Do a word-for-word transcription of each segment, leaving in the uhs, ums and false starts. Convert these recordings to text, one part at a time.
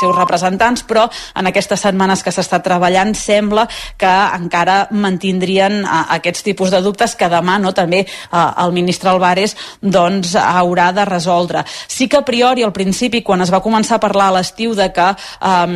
seus representants, però en aquestes setmanes que s'està treballant sembla que encara mantindrien uh, aquests tipus de dubtes que demà no, també uh, el ministre Álvarez doncs, haurà de resoldre. Sí que a priori, al principi, quan es va començar a parlar a l'estiu de que um,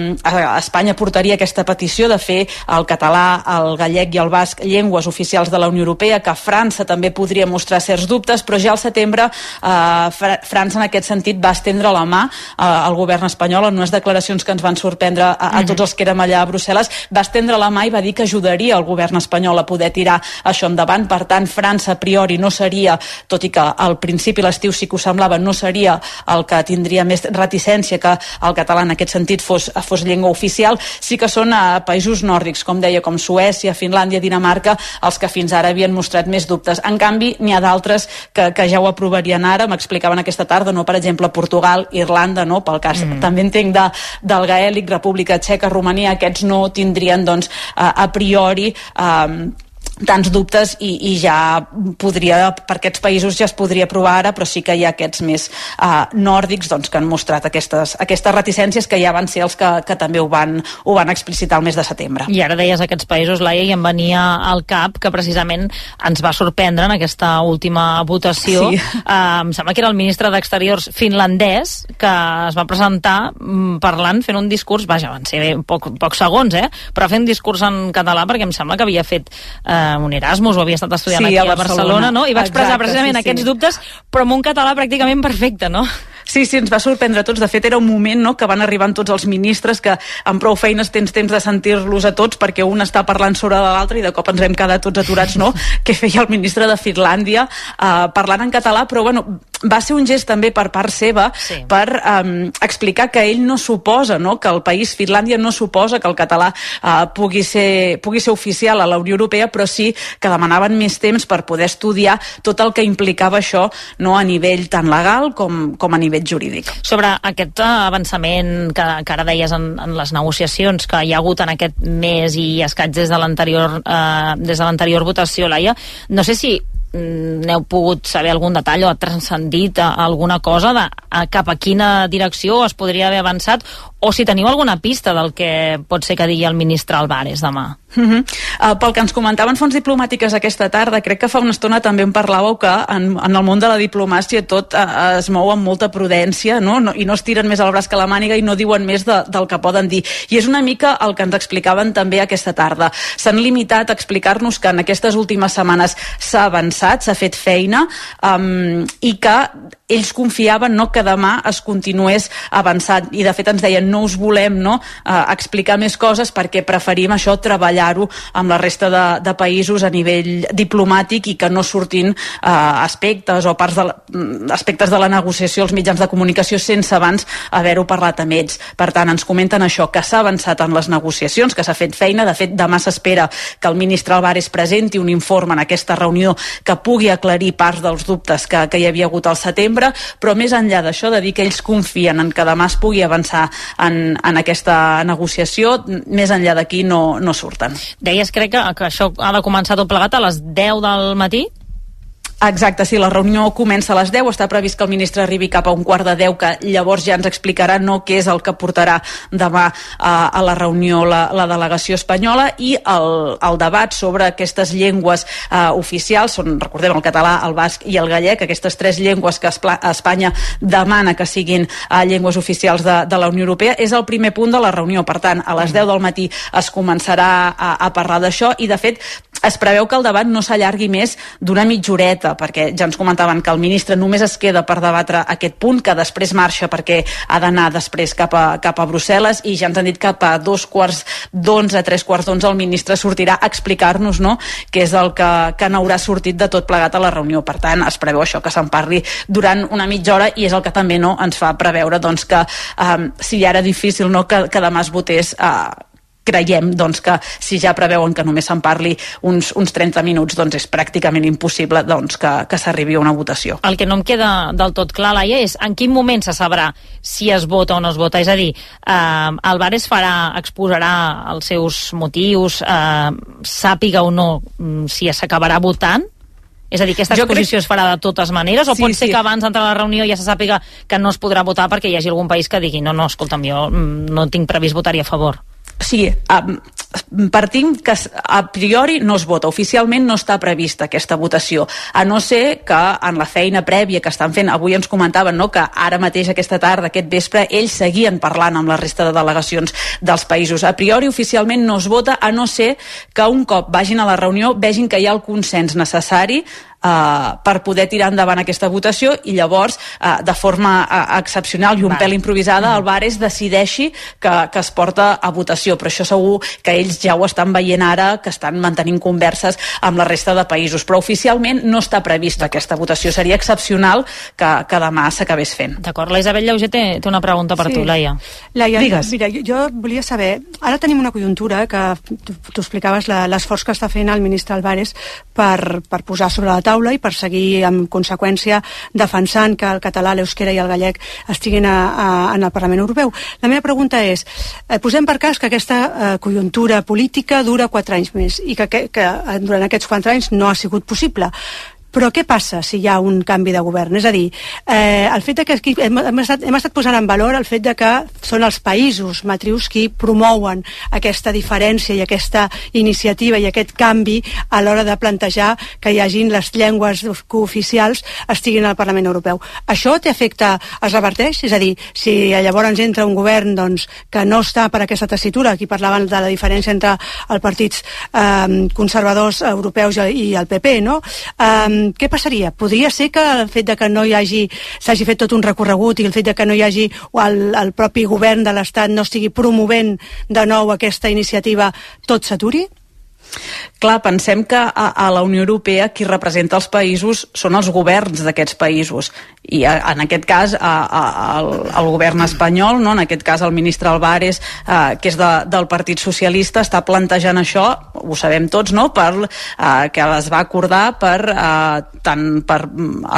Espanya portaria aquesta petició de fer el català, el gallec i el basc llengües oficials de la Unió Europea, que França també podria mostrar certs dubtes, però ja al setembre uh, Fra França en aquest sentit va estendre la mà uh, al govern espanyol en unes declaracions que ens van sorprendre a, a tots els que érem allà a Brussel·les, va estendre la mà i va dir que ajudaria el govern espanyol a poder tirar això endavant. Per tant, França a priori no seria, tot i que al principi l'estiu sí que ho semblava, no seria el que tindria més reticència que el català en aquest sentit fos, fos llengua oficial. Sí que són a països nòrdics, com deia, com Suècia, Finlàndia, Dinamarca, els que fins ara havien mostrat més dubtes. En canvi, n'hi ha d'altres que, que ja ho aprovarien ara, m'explicaven aquesta tarda, no? Per exemple, Portugal, Irlanda, no? Pel cas, mm. també entenc de, del gaèlic, República Txeca, Romania, aquests no tindrien, doncs, a, a priori, eh, tants dubtes i, i ja podria, per aquests països ja es podria aprovar ara, però sí que hi ha aquests més uh, nòrdics doncs, que han mostrat aquestes, aquestes reticències que ja van ser els que, que també ho van, ho van explicitar el mes de setembre. I ara deies aquests països, Laia, i em venia al cap que precisament ens va sorprendre en aquesta última votació. Sí. Uh, em sembla que era el ministre d'Exteriors finlandès que es va presentar um, parlant, fent un discurs, vaja, van ser poc, pocs segons, eh? Però fent un discurs en català perquè em sembla que havia fet uh, un Erasmus o havia estat estudiant sí, aquí a Barcelona, Barcelona, no? I va expressar Exacte, precisament sí, aquests sí. dubtes, però amb un català pràcticament perfecte, no? Sí, sí, ens va sorprendre a tots. De fet, era un moment no, que van arribant tots els ministres que amb prou feines tens temps de sentir-los a tots perquè un està parlant sobre l'altre i de cop ens vam quedar tots aturats, no? Què feia el ministre de Finlàndia uh, parlant en català, però bueno, va ser un gest també per part seva sí. per um, explicar que ell no suposa, no? Que el país, Finlàndia, no suposa que el català uh, pugui, ser, pugui ser oficial a la Unió Europea, però sí que demanaven més temps per poder estudiar tot el que implicava això no? A nivell tan legal com, com a nivell jurídic. Sobre aquest avançament que, que ara deies en, en les negociacions que hi ha hagut en aquest mes i escaig des de l'anterior eh, des de l'anterior votació, Laia, no sé si n'heu pogut saber algun detall o ha transcendit alguna cosa de a cap a quina direcció es podria haver avançat o si teniu alguna pista del que pot ser que digui el ministre Álvarez demà. Uh-huh. Uh, pel que ens comentaven fonts diplomàtiques aquesta tarda, crec que fa una estona també en parlàveu que en, en el món de la diplomàcia tot uh, es mou amb molta prudència, no? No, i no es tiren més el braç que la màniga i no diuen més de, del que poden dir. I és una mica el que ens explicaven també aquesta tarda. S'han limitat a explicar-nos que en aquestes últimes setmanes s'ha avançat, s'ha fet feina um, i que ells confiaven no, que demà es continués avançant i de fet ens deien no us volem no, uh, explicar més coses perquè preferim això treballar-ho amb la resta de, de països a nivell diplomàtic i que no surtin uh, aspectes o parts de la, aspectes de la negociació als mitjans de comunicació sense abans haver-ho parlat amb ells. Per tant, ens comenten això, que s'ha avançat en les negociacions, que s'ha fet feina. De fet, demà s'espera que el ministre Álvarez presenti un informe en aquesta reunió que pugui aclarir parts dels dubtes que, que hi havia hagut al setembre, però més enllà d'això, de dir que ells confien en que demà es pugui avançar en, en aquesta negociació, més enllà d'aquí no, no surten. Deies, crec que, que això ha de començar tot plegat a les deu del matí? Exacte, sí, la reunió comença a les deu, està previst que el ministre arribi cap a un quart de deu, que llavors ja ens explicarà no què és el que portarà demà a, a la reunió la, la delegació espanyola i el, el debat sobre aquestes llengües uh, oficials, són, recordem, el català, el basc i el gallec, aquestes tres llengües que Espanya demana que siguin uh, llengües oficials de, de la Unió Europea, és el primer punt de la reunió. Per tant, a les deu del matí es començarà a, a parlar d'això i, de fet, es preveu que el debat no s'allargui més d'una mitja horeta, perquè ja ens comentaven que el ministre només es queda per debatre aquest punt, que després marxa perquè ha d'anar després cap a, cap a Brussel·les, i ja ens han dit que cap a dos quarts d'onze, tres quarts d'onze el ministre sortirà a explicar-nos no, què és el que, que n'haurà sortit de tot plegat a la reunió. Per tant, es preveu això, que se'n parli durant una mitja hora, i és el que també no, ens fa preveure doncs, que um, si ja era difícil no, que, que demà es votés uh, creiem doncs, que si ja preveuen que només se'n parli uns, uns trenta minuts, doncs és pràcticament impossible doncs, que, que s'arribi a una votació. El que no em queda del tot clar, Laia, és en quin moment se sabrà si es vota o no es vota. És a dir, eh, Álvarez farà, exposarà els seus motius, eh, sàpiga o no si s'acabarà votant, És a dir, aquesta exposició crec... es farà de totes maneres, o sí, pot ser sí. que abans d'entrar a la reunió ja se sàpiga que no es podrà votar perquè hi hagi algun país que digui no, no, escolta'm, jo no tinc previst votar-hi a favor? Sí, um, partim que a priori no es vota, oficialment no està prevista aquesta votació, a no ser que en la feina prèvia que estan fent, avui ens comentaven, no?, que ara mateix aquesta tarda, aquest vespre, ells seguien parlant amb la resta de delegacions dels països. A priori oficialment no es vota, a no ser que un cop vagin a la reunió vegin que hi ha el consens necessari Uh, per poder tirar endavant aquesta votació i llavors, uh, de forma uh, excepcional i un Va. pèl improvisada, el Bares decideixi que, que es porta a votació, però això segur que ells ja ho estan veient ara, que estan mantenint converses amb la resta de països, però oficialment no està prevista aquesta votació, seria excepcional que, que demà s'acabés fent. D'acord, la Isabel Llauger té, té una pregunta per sí. tu, Laia. Laia, Digues. Mira, jo, jo volia saber, ara tenim una conjuntura que tu, tu explicaves l'esforç que està fent el ministre Álvarez per, per posar sobre la taula i per seguir, en conseqüència, defensant que el català, l'euskera i el gallec estiguin a, a, en el Parlament Europeu. La meva pregunta és, eh, posem per cas que aquesta eh, conjuntura política dura quatre anys més i que, que, que durant aquests quatre anys no ha sigut possible. Però què passa si hi ha un canvi de govern? És a dir, eh, el fet de que aquí hem, hem, estat, hem estat posant en valor el fet de que són els països matrius qui promouen aquesta diferència i aquesta iniciativa i aquest canvi a l'hora de plantejar que hi hagin les llengües cooficials estiguin al Parlament Europeu. Això té efecte, es reverteix? És a dir, si llavors entra un govern doncs, que no està per aquesta tessitura, aquí parlaven de la diferència entre els partits eh, conservadors europeus i el P P, no? Eh, què passaria? Podria ser que el fet de que no hi hagi, s'hagi fet tot un recorregut i el fet de que no hi hagi el, el propi govern de l'Estat no estigui promovent de nou aquesta iniciativa, tot s'aturi? Clar, pensem que a, a la Unió Europea qui representa els països són els governs d'aquests països i a, en aquest cas a, a, el, el govern espanyol, no? En aquest cas el ministre Álvarez, eh, que és de, del Partit Socialista, està plantejant això, ho sabem tots, no? Per, eh, que es va acordar per, eh, tant per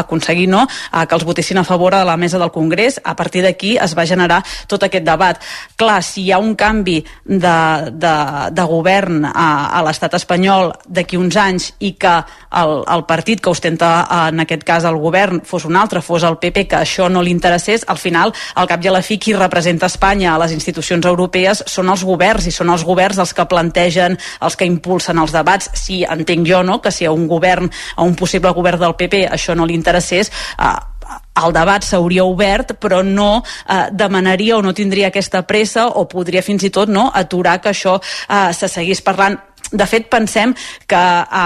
aconseguir no? eh, que els votessin a favor a la mesa del Congrés. A partir d'aquí es va generar tot aquest debat. Clar, si hi ha un canvi de, de, de govern a, a l'estat espanyol d'aquí uns anys i que el, el partit que ostenta en aquest cas el govern fos un altre, fos el P P, que això no li interessés, al final, al cap i a la fi, qui representa Espanya a les institucions europees són els governs i són els governs els que plantegen, els que impulsen els debats. Si entenc jo, no?, que si a un govern, a un possible govern del P P això no li interessés, eh, el debat s'hauria obert, però no eh, demanaria o no tindria aquesta pressa o podria fins i tot no, aturar que això eh, se seguís parlant. De fet, pensem que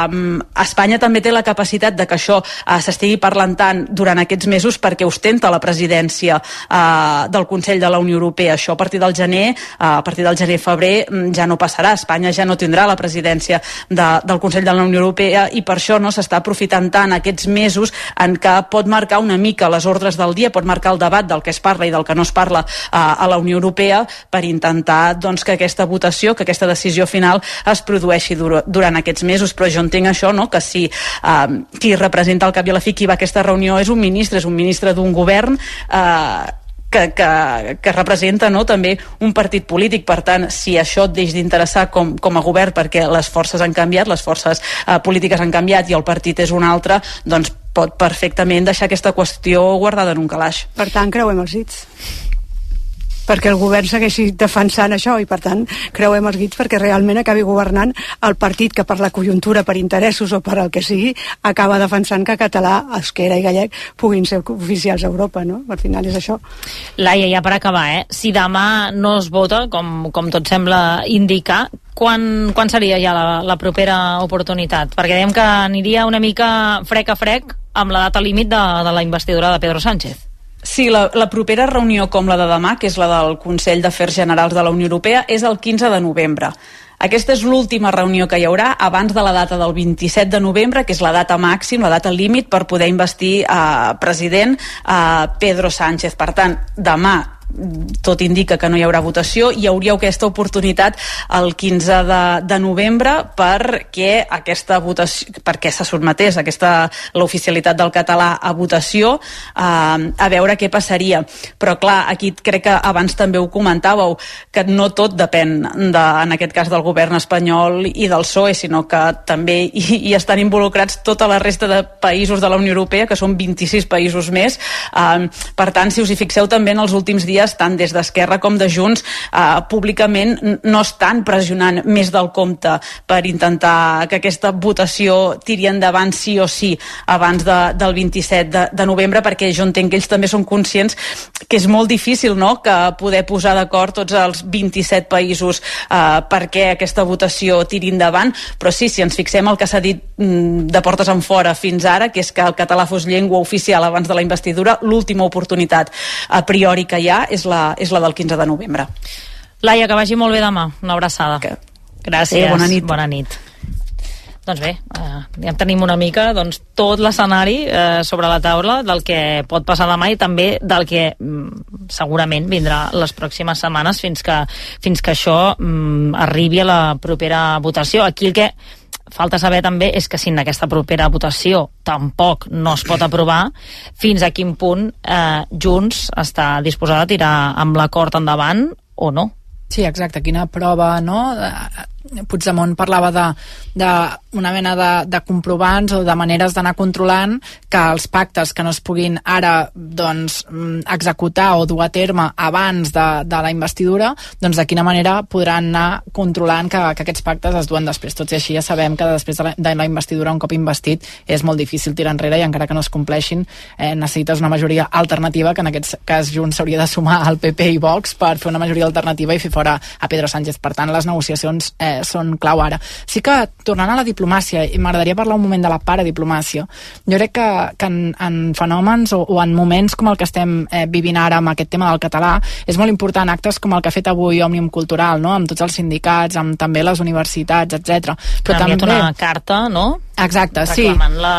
um, Espanya també té la capacitat de que això uh, s'estigui parlant tant durant aquests mesos perquè ostenta la presidència uh, del Consell de la Unió Europea. Això a partir del gener, uh, a partir del gener-febrer ja no passarà. Espanya ja no tindrà la presidència de, del Consell de la Unió Europea i per això no s'està aprofitant tant aquests mesos en què pot marcar una mica les ordres del dia, pot marcar el debat del que es parla i del que no es parla uh, a la Unió Europea per intentar doncs, que aquesta votació, que aquesta decisió final es produeixi durant aquests mesos, però jo entenc això, no?, que si eh, qui representa al cap i a la fi qui va a aquesta reunió és un ministre, és un ministre d'un govern eh, que, que, que representa no, també un partit polític. Per tant, si això et deix d'interessar com, com a govern perquè les forces han canviat, les forces eh, polítiques han canviat i el partit és un altre, doncs pot perfectament deixar aquesta qüestió guardada en un calaix. Per tant, creuem els dits perquè el govern segueixi defensant això i per tant creuem els dits perquè realment acabi governant el partit que per la conjuntura, per interessos o per el que sigui, acaba defensant que català, euskera i gallec puguin ser oficials a Europa, no? Al final és això. Laia, ja per acabar, eh? Si demà no es vota, com, com tot sembla indicar, quan, quan seria ja la, la propera oportunitat? Perquè dèiem que aniria una mica frec a frec amb la data límit de, de la investidura de Pedro Sánchez. Sí, la, la propera reunió com la de demà, que és la del Consell d'Afers Generals de la Unió Europea, és el quinze de novembre. Aquesta és l'última reunió que hi haurà abans de la data del vint-i-set de novembre, que és la data màxim, la data límit per poder investir eh, president eh, Pedro Sánchez. Per tant, demà tot indica que no hi haurà votació, hi hauria aquesta oportunitat el quinze de novembre perquè aquesta votació, perquè se sotmetés aquesta, l'oficialitat del català a votació, eh, a veure què passaria. Però clar, aquí crec que abans també ho comentàveu, que no tot depèn de, en aquest cas del govern espanyol i del P S O E, sinó que també hi, hi estan involucrats tota la resta de països de la Unió Europea, que són vint-i-sis països més. Eh, per tant, si us hi fixeu també en els últims dies, tant des d'Esquerra com de Junts, eh, públicament no estan pressionant més del compte per intentar que aquesta votació tiri endavant sí o sí abans de, del vint-i-set de, de novembre, perquè jo entenc que ells també són conscients que és molt difícil, no?, que poder posar d'acord tots els vint-i-set països eh, perquè aquesta votació tiri endavant. Però sí, si ens fixem el que s'ha dit mm, de portes en fora fins ara, que és que el català fos llengua oficial abans de la investidura, l'última oportunitat a priori que hi ha és la, és la del quinze de novembre. Laia, que vagi molt bé demà. Una abraçada. Que... Gràcies. Sí, bona nit. Bona nit. Doncs bé, eh, ja tenim una mica doncs, tot l'escenari eh, sobre la taula del que pot passar demà i també del que mm, segurament vindrà les pròximes setmanes fins que, fins que això mm, arribi a la propera votació. Aquí el que falta saber també és que si en aquesta propera votació tampoc no es pot aprovar, fins a quin punt eh, Junts està disposada a tirar amb l'acord endavant o no. Sí, exacte, quina prova, no? Puigdemont parlava de, de una mena de, de comprovants o de maneres d'anar controlant que els pactes que no es puguin ara doncs, executar o dur a terme abans de, de la investidura, doncs de quina manera podran anar controlant que, que aquests pactes es duen després. Tot i així ja sabem que després de la, de la investidura, un cop investit, és molt difícil tirar enrere i encara que no es compleixin eh, necessites una majoria alternativa, que en aquest cas Junts s'hauria de sumar al P P i Vox per fer una majoria alternativa i fer fora a Pedro Sánchez. Per tant, les negociacions eh, són clau ara. Sí que, tornant a la diplomàcia, i m'agradaria parlar un moment de la paradiplomàcia, jo crec que, que en, en fenòmens o, o en moments com el que estem eh, vivint ara amb aquest tema del català, és molt important actes com el que ha fet avui Òmnium Cultural, no?, amb tots els sindicats, amb també les universitats, etcètera. Però també una carta, no? Exacte, sí. Reclamant la,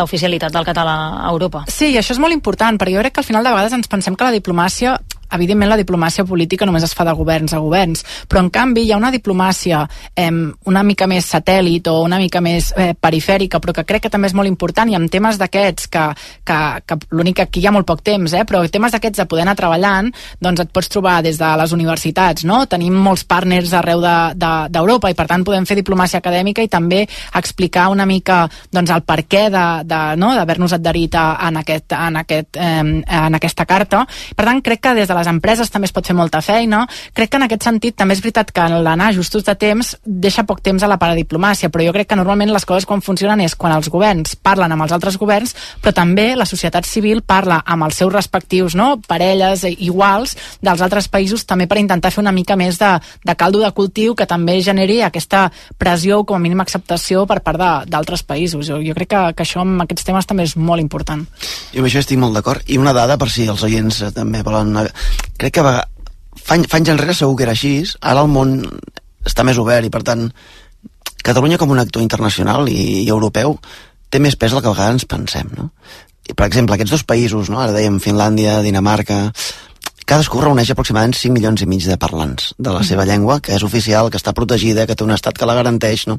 l'oficialitat del català a Europa. Sí, i això és molt important, perquè jo crec que al final de vegades ens pensem que la diplomàcia, evidentment la diplomàcia política només es fa de governs a governs, però en canvi hi ha una diplomàcia eh, una mica més satèl·lit o una mica més eh, perifèrica, però que crec que també és molt important, i amb temes d'aquests que, que, que l'únic que aquí hi ha molt poc temps, eh, però temes d'aquests de poder anar treballant, doncs et pots trobar des de les universitats, no? Tenim molts partners arreu d'Europa de, de, i per tant podem fer diplomàcia acadèmica i també explicar una mica doncs, el perquè de, de, no? d'haver-nos adherit a, en, aquest, en, aquest, eh, en aquesta carta. Per tant, crec que des de les empreses també es pot fer molta feina. Crec que en aquest sentit també és veritat que l'anar justos de temps deixa poc temps a la paradiplomàcia, però jo crec que normalment les coses quan funcionen és quan els governs parlen amb els altres governs, però també la societat civil parla amb els seus respectius, no?, parelles iguals dels altres països, també per intentar fer una mica més de, de caldo de cultiu que també generi aquesta pressió o com a mínim acceptació per part d'altres països. Jo, jo crec que, que això amb aquests temes també és molt important. Jo amb això estic molt d'acord. I una dada, per si els oients també volen... Crec que va, fa, fa anys enrere segur que era així, ara el món està més obert i per tant Catalunya com un actor internacional i, i europeu té més pes del que a vegades ens pensem, no? I, per exemple, aquests dos països, no? Ara dèiem Finlàndia, Dinamarca, cadascú reuneix aproximadament cinc milions i mig de parlants de la seva llengua, que és oficial, que està protegida, que té un estat que la garanteix, no?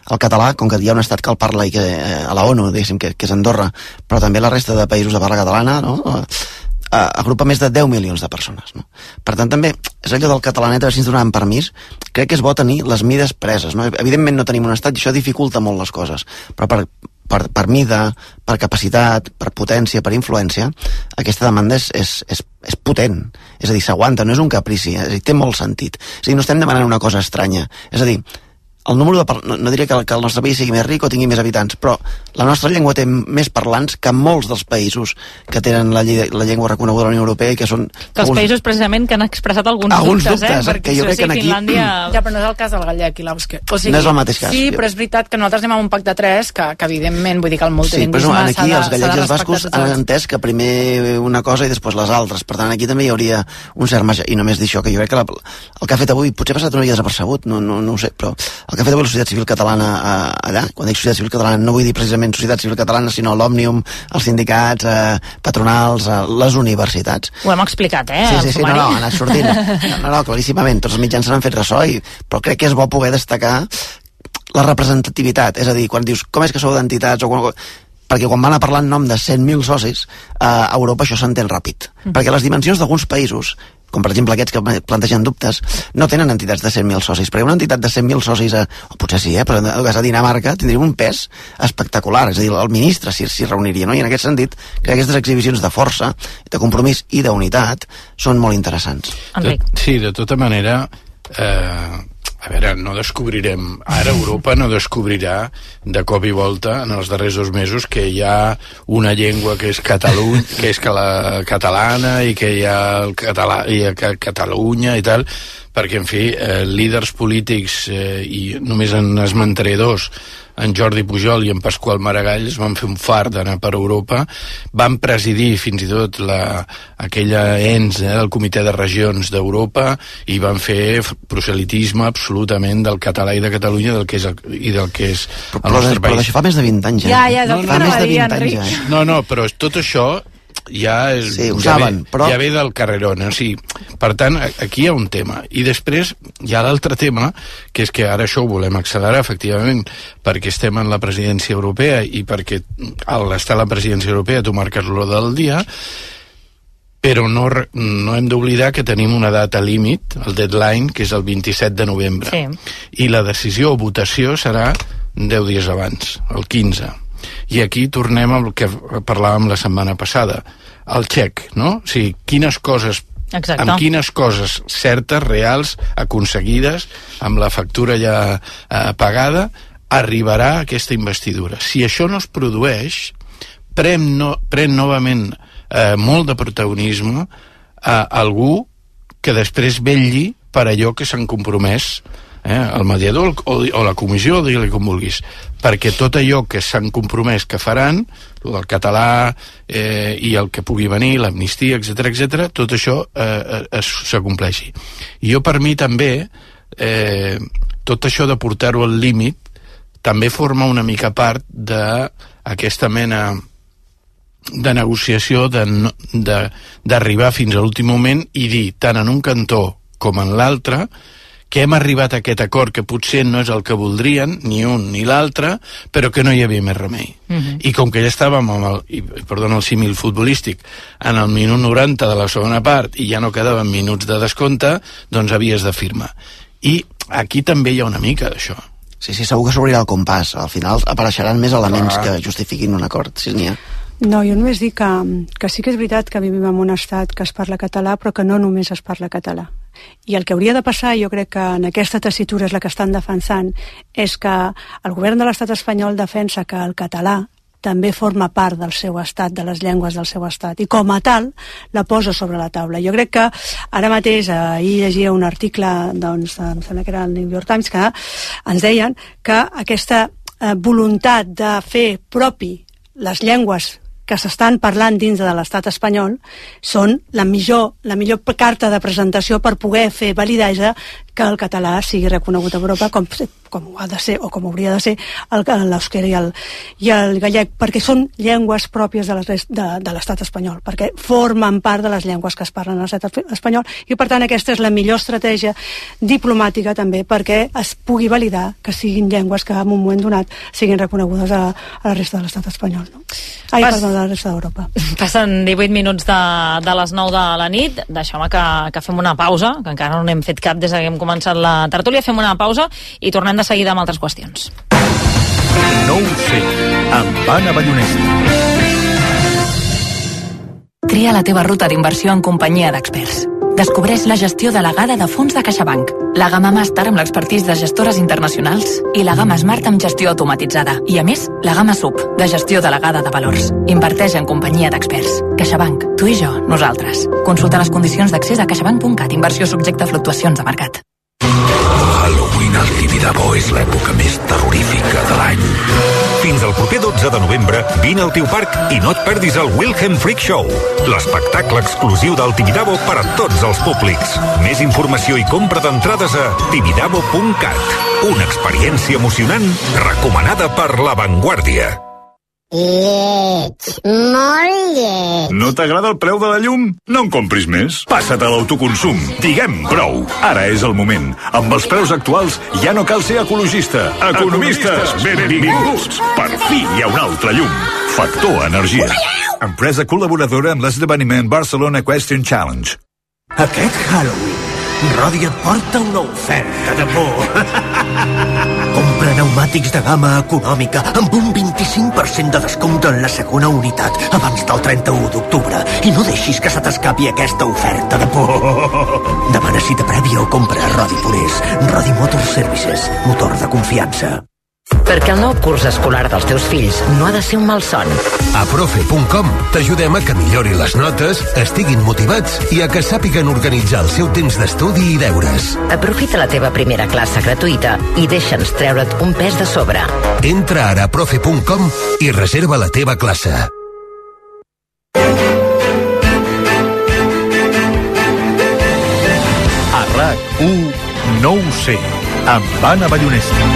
El català, com que hi ha un estat que el parla i que eh, a la ONU, diguéssim, que, que és Andorra, però també la resta de països de parla catalana, no?, agrupa més de deu milions de persones, no? Per tant, també és allò del catalanet, a veure si ens donaven permís. Crec que és bo tenir les mides preses, no? Evidentment no tenim un estat i això dificulta molt les coses, però per, per, per mida, per capacitat, per potència, per influència, aquesta demanda és, és, és, és potent, és a dir, s'aguanta, no és un caprici, és a dir, té molt sentit. És a dir, no estem demanant una cosa estranya, és a dir, el número de par... no, no diria que el, que el nostre país sigui més ric o tingui més habitants, però la nostra llengua té més parlants que molts dels països que tenen la, lle... la llengua reconeguda a la Unió Europea i que són... Que els alguns... països precisament que han expressat alguns, alguns dubtes, dubtes, eh? Perquè que jo crec que aquí... Finlàndia... Ja, però no és el cas del gallec i l'àusquer. O sigui, no és el mateix cas. Sí, però és veritat que nosaltres anem amb un pacte de tres, que, que evidentment, vull dir que el multilingüisme sí, però aquí de, els gallecs i els bascos han entès que primer una cosa i després les altres. Per tant, aquí també hi hauria un cert marge. I només dir això, que jo crec que la, el que ha fet avui potser ha passat una mica desapercebut, no, no, no ho sé, però el que ha fet avui la societat civil catalana eh, allà. Quan dic societat civil catalana no vull dir precisament societat civil catalana, sinó l'Òmnium, els sindicats, eh, patronals, eh, les universitats. Ho hem explicat, eh? Sí, sí, sí, no, no, ha anat sortint. No, no, claríssimament, tots els mitjans se n'han fet ressò, i, però crec que és bo poder destacar la representativitat, és a dir, quan dius com és que sou d'entitats, o quan, perquè quan van a parlar en nom de cent mil socis, eh, a Europa això s'entén ràpid, mm. perquè les dimensions d'alguns països, com per exemple aquests que plantegen dubtes, no tenen entitats de cent mil socis, perquè una entitat de cent mil socis, a, o potser sí, eh, però a Dinamarca tindria un pes espectacular, és a dir, el ministre s'hi si reuniria, no? I en aquest sentit crec que aquestes exhibicions de força, de compromís i d'unitat són molt interessants. Enric. Sí, de tota manera, eh, a veure, no descobrirem, ara Europa no descobrirà de cop i volta en els darrers dos mesos que hi ha una llengua que és Catalunya, que és la catalana, i que hi ha el català, i a Catalunya i tal, perquè, en fi, eh, líders polítics, eh, i només en esmentaré dos, en Jordi Pujol i en Pasqual Maragall, es van fer un fart d'anar per Europa, van presidir fins i tot la, aquella ens eh, del Comitè de Regions d'Europa, i van fer proselitisme absolutament del català i de Catalunya, del que és el, i del que és el però, nostre però, país. Però això fa més de vint anys, eh? Ja, ja, no, no, fa no, més de vint Enric. anys, eh? No, no, però tot això ja és, sí, ho ja, saben, ve, però... ja ve del carrerón, o sigui, per tant, aquí hi ha un tema, i després hi ha l'altre tema, que és que ara això ho volem accelerar, efectivament, perquè estem en la presidència europea, i perquè al estar a la presidència europea tu marques l'ordre del dia, però no, no hem d'oblidar que tenim una data límit, el deadline, que és el vint-i-set de novembre, sí. I la decisió o votació serà deu dies abans, el quinze. I aquí tornem al que parlàvem la setmana passada, el xec, no? O sigui, quines coses, exacte, amb quines coses certes, reals, aconseguides, amb la factura ja eh, pagada, arribarà aquesta investidura. Si això no es produeix, pren, no, pren novament eh, molt de protagonisme a algú que després vetlli per allò que s'han compromès, eh, el mediador o, o la comissió, digue-li com vulguis, perquè tot allò que s'han compromès que faran, el català eh, i el que pugui venir, l'amnistia, etcètera, etcètera, tot això eh, s'acompleixi. I jo, per mi, també, eh, tot això de portar-ho al límit també forma una mica part d'aquesta mena de negociació, d'arribar fins a l'últim moment i dir, tant en un cantó com en l'altre, que hem arribat a aquest acord que potser no és el que voldrien, ni un ni l'altre, però que no hi havia més remei. Uh-huh. I com que ja estàvem amb el, i, perdona el símil futbolístic, en el minut noranta de la segona part i ja no quedaven minuts de descompte, doncs havies de firmar. I aquí també hi ha una mica d'això. Sí, sí, segur que s'obrirà el compàs. Al final apareixeran més elements ah. que justifiquin un acord, si n'hi ha. No, jo només dic que, que sí que és veritat que vivim en un estat que es parla català, però que no només es parla català. I el que hauria de passar, jo crec que en aquesta tessitura és la que estan defensant, és que el govern de l'estat espanyol defensa que el català també forma part del seu estat, de les llengües del seu estat, i com a tal la posa sobre la taula. Jo crec que ara mateix, ahir llegia un article, doncs, em sembla que era el New York Times, que ens deien que aquesta eh, voluntat de fer propi les llengües que s'estan parlant dins de l'estat espanyol són la millor, la millor carta de presentació per poder fer validesa que el català sigui reconegut a Europa com, com ha de ser, o com hauria de ser l'eusquera i, el, i el gallec, perquè són llengües pròpies de l'estat espanyol, perquè formen part de les llengües que es parlen a l'estat espanyol, i per tant aquesta és la millor estratègia diplomàtica també perquè es pugui validar que siguin llengües que en un moment donat siguin reconegudes a, a la resta de l'estat espanyol, no? Ai, Pas... perdó, de la resta d'Europa. Passen divuit minuts de, de les nou de la nit, deixeu-me que, que fem una pausa, que encara no n'hem fet cap des que hem començat la tertúlia, fem una pausa i tornem de seguida amb altres qüestions. No ho sé, amb Anna Ballonesta. Tria la teva ruta d'inversió en companyia d'experts. Descobreix la gestió delegada de fons de CaixaBank, la gamma Màster amb l'expertís de gestores internacionals i la gamma Smart amb gestió automatitzada. I a més, la gamma Sub, de gestió delegada de valors. Inverteix en companyia d'experts. CaixaBank, tu i jo, nosaltres. Consulta les condicions d'accés a caixabank punt cat. Inversió subjecte a fluctuacions de mercat. Halloween al Tibidabo és l'època més terrorífica de l'any. Fins al proper dotze de novembre, vine al teu parc i no et perdis el Wilhelm Freak Show, l'espectacle exclusiu del Tibidabo per a tots els públics. Més informació i compra d'entrades a tibidabo punt cat. Una experiència emocionant recomanada per La Vanguardia. Lleig, molt lleig. No t'agrada el preu de la llum? No en compris més. Passa't a l'autoconsum. Diguem prou. Ara és el moment. Amb els preus actuals ja no cal ser ecologista. Economistes, benvinguts. Per fi hi ha un altre llum. Factor Energia. Empresa col·laboradora amb l'esdeveniment Barcelona Question Challenge. Aquest Halloween, Rodi et porta una oferta de por. Compra pneumàtics de gamma econòmica amb un vint-i-cinc per cent de descompte en la segona unitat abans del trenta-u d'octubre i no deixis que se t'escapi aquesta oferta de por. Demana cita prèvia o compra a Rodi Forés. Rodi Motor Services, motor de confiança. Perquè el nou curs escolar dels teus fills no ha de ser un malson. A profe punt com t'ajudem a que millorin les notes, estiguin motivats i a que sàpiguen organitzar el seu temps d'estudi i deures. Aprofita la teva primera classe gratuïta i deixa'ns treure't un pes de sobre. Entra ara a profe punt com i reserva la teva classe. A RAC u no ho sé, amb Anna Ballonesta.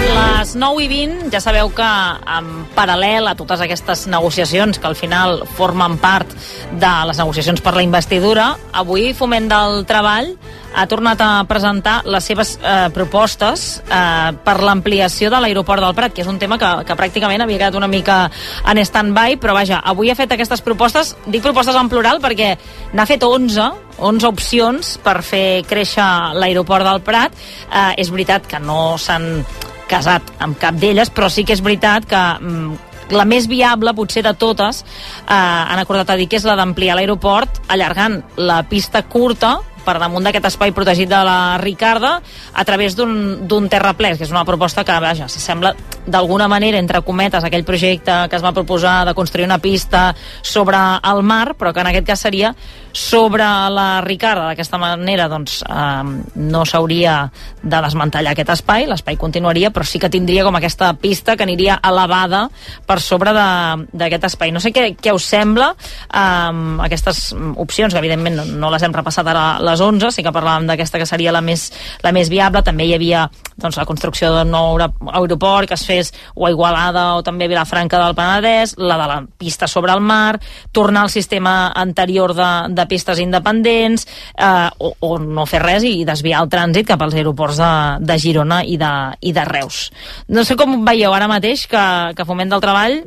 Les nou i vint, ja sabeu que en paral·lel a totes aquestes negociacions que al final formen part de les negociacions per la investidura, avui Foment del Treball ha tornat a presentar les seves eh, propostes eh, per l'ampliació de l'aeroport del Prat, que és un tema que, que pràcticament havia quedat una mica en stand-by, però vaja, avui ha fet aquestes propostes, dic propostes en plural perquè n'ha fet onze, onze opcions per fer créixer l'aeroport del Prat. Eh, és veritat que no s'han casat amb cap d'elles, però sí que és veritat que mm, la més viable, potser de totes, eh, han acordat a dir que és la d'ampliar l'aeroport, allargant la pista curta per damunt d'aquest espai protegit de la Ricarda a través d'un terraplè, que és una proposta que, vaja, s'assembla d'alguna manera, entre cometes, aquell projecte que es va proposar de construir una pista sobre el mar, però que en aquest cas seria sobre la Ricarda. D'aquesta manera, doncs, eh, no s'hauria de desmantellar aquest espai, l'espai continuaria, però sí que tindria com aquesta pista que aniria elevada per sobre d'aquest espai. No sé què, què us sembla eh, aquestes opcions, que evidentment no, no les hem repassat ara les onze, sí que parlàvem d'aquesta que seria la més, la més viable. També hi havia doncs, la construcció d'un nou aeroport que es fes o a Igualada o també a Vilafranca del Penedès, la de la pista sobre el mar, tornar al sistema anterior de, de pistes independents, eh, o, o no fer res i desviar el trànsit cap als aeroports de, de Girona i de, i de Reus. No sé com veieu ara mateix que, que Foment del Treball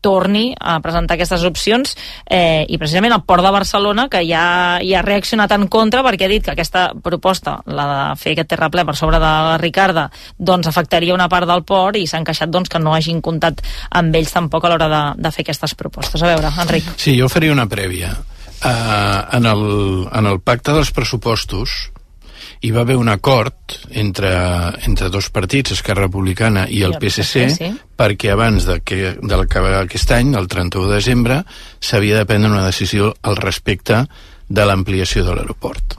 torni a presentar aquestes opcions eh, i precisament el Port de Barcelona, que ja hi ha reaccionat en contra perquè ha dit que aquesta proposta, la de fer aquest terraplè per sobre de la Ricarda, doncs afectaria una part del port i s'han queixat doncs, que no hagin comptat amb ells tampoc a l'hora de, de fer aquestes propostes. A veure, Enric. Sí, jo faria una prèvia. Uh, en, el, en el pacte dels pressupostos hi va haver un acord entre, entre dos partits, Esquerra Republicana i el P S C, sí, perquè abans de que, de l'acabar aquest any, el trenta-u de desembre, s'havia de prendre una decisió al respecte de l'ampliació de l'aeroport.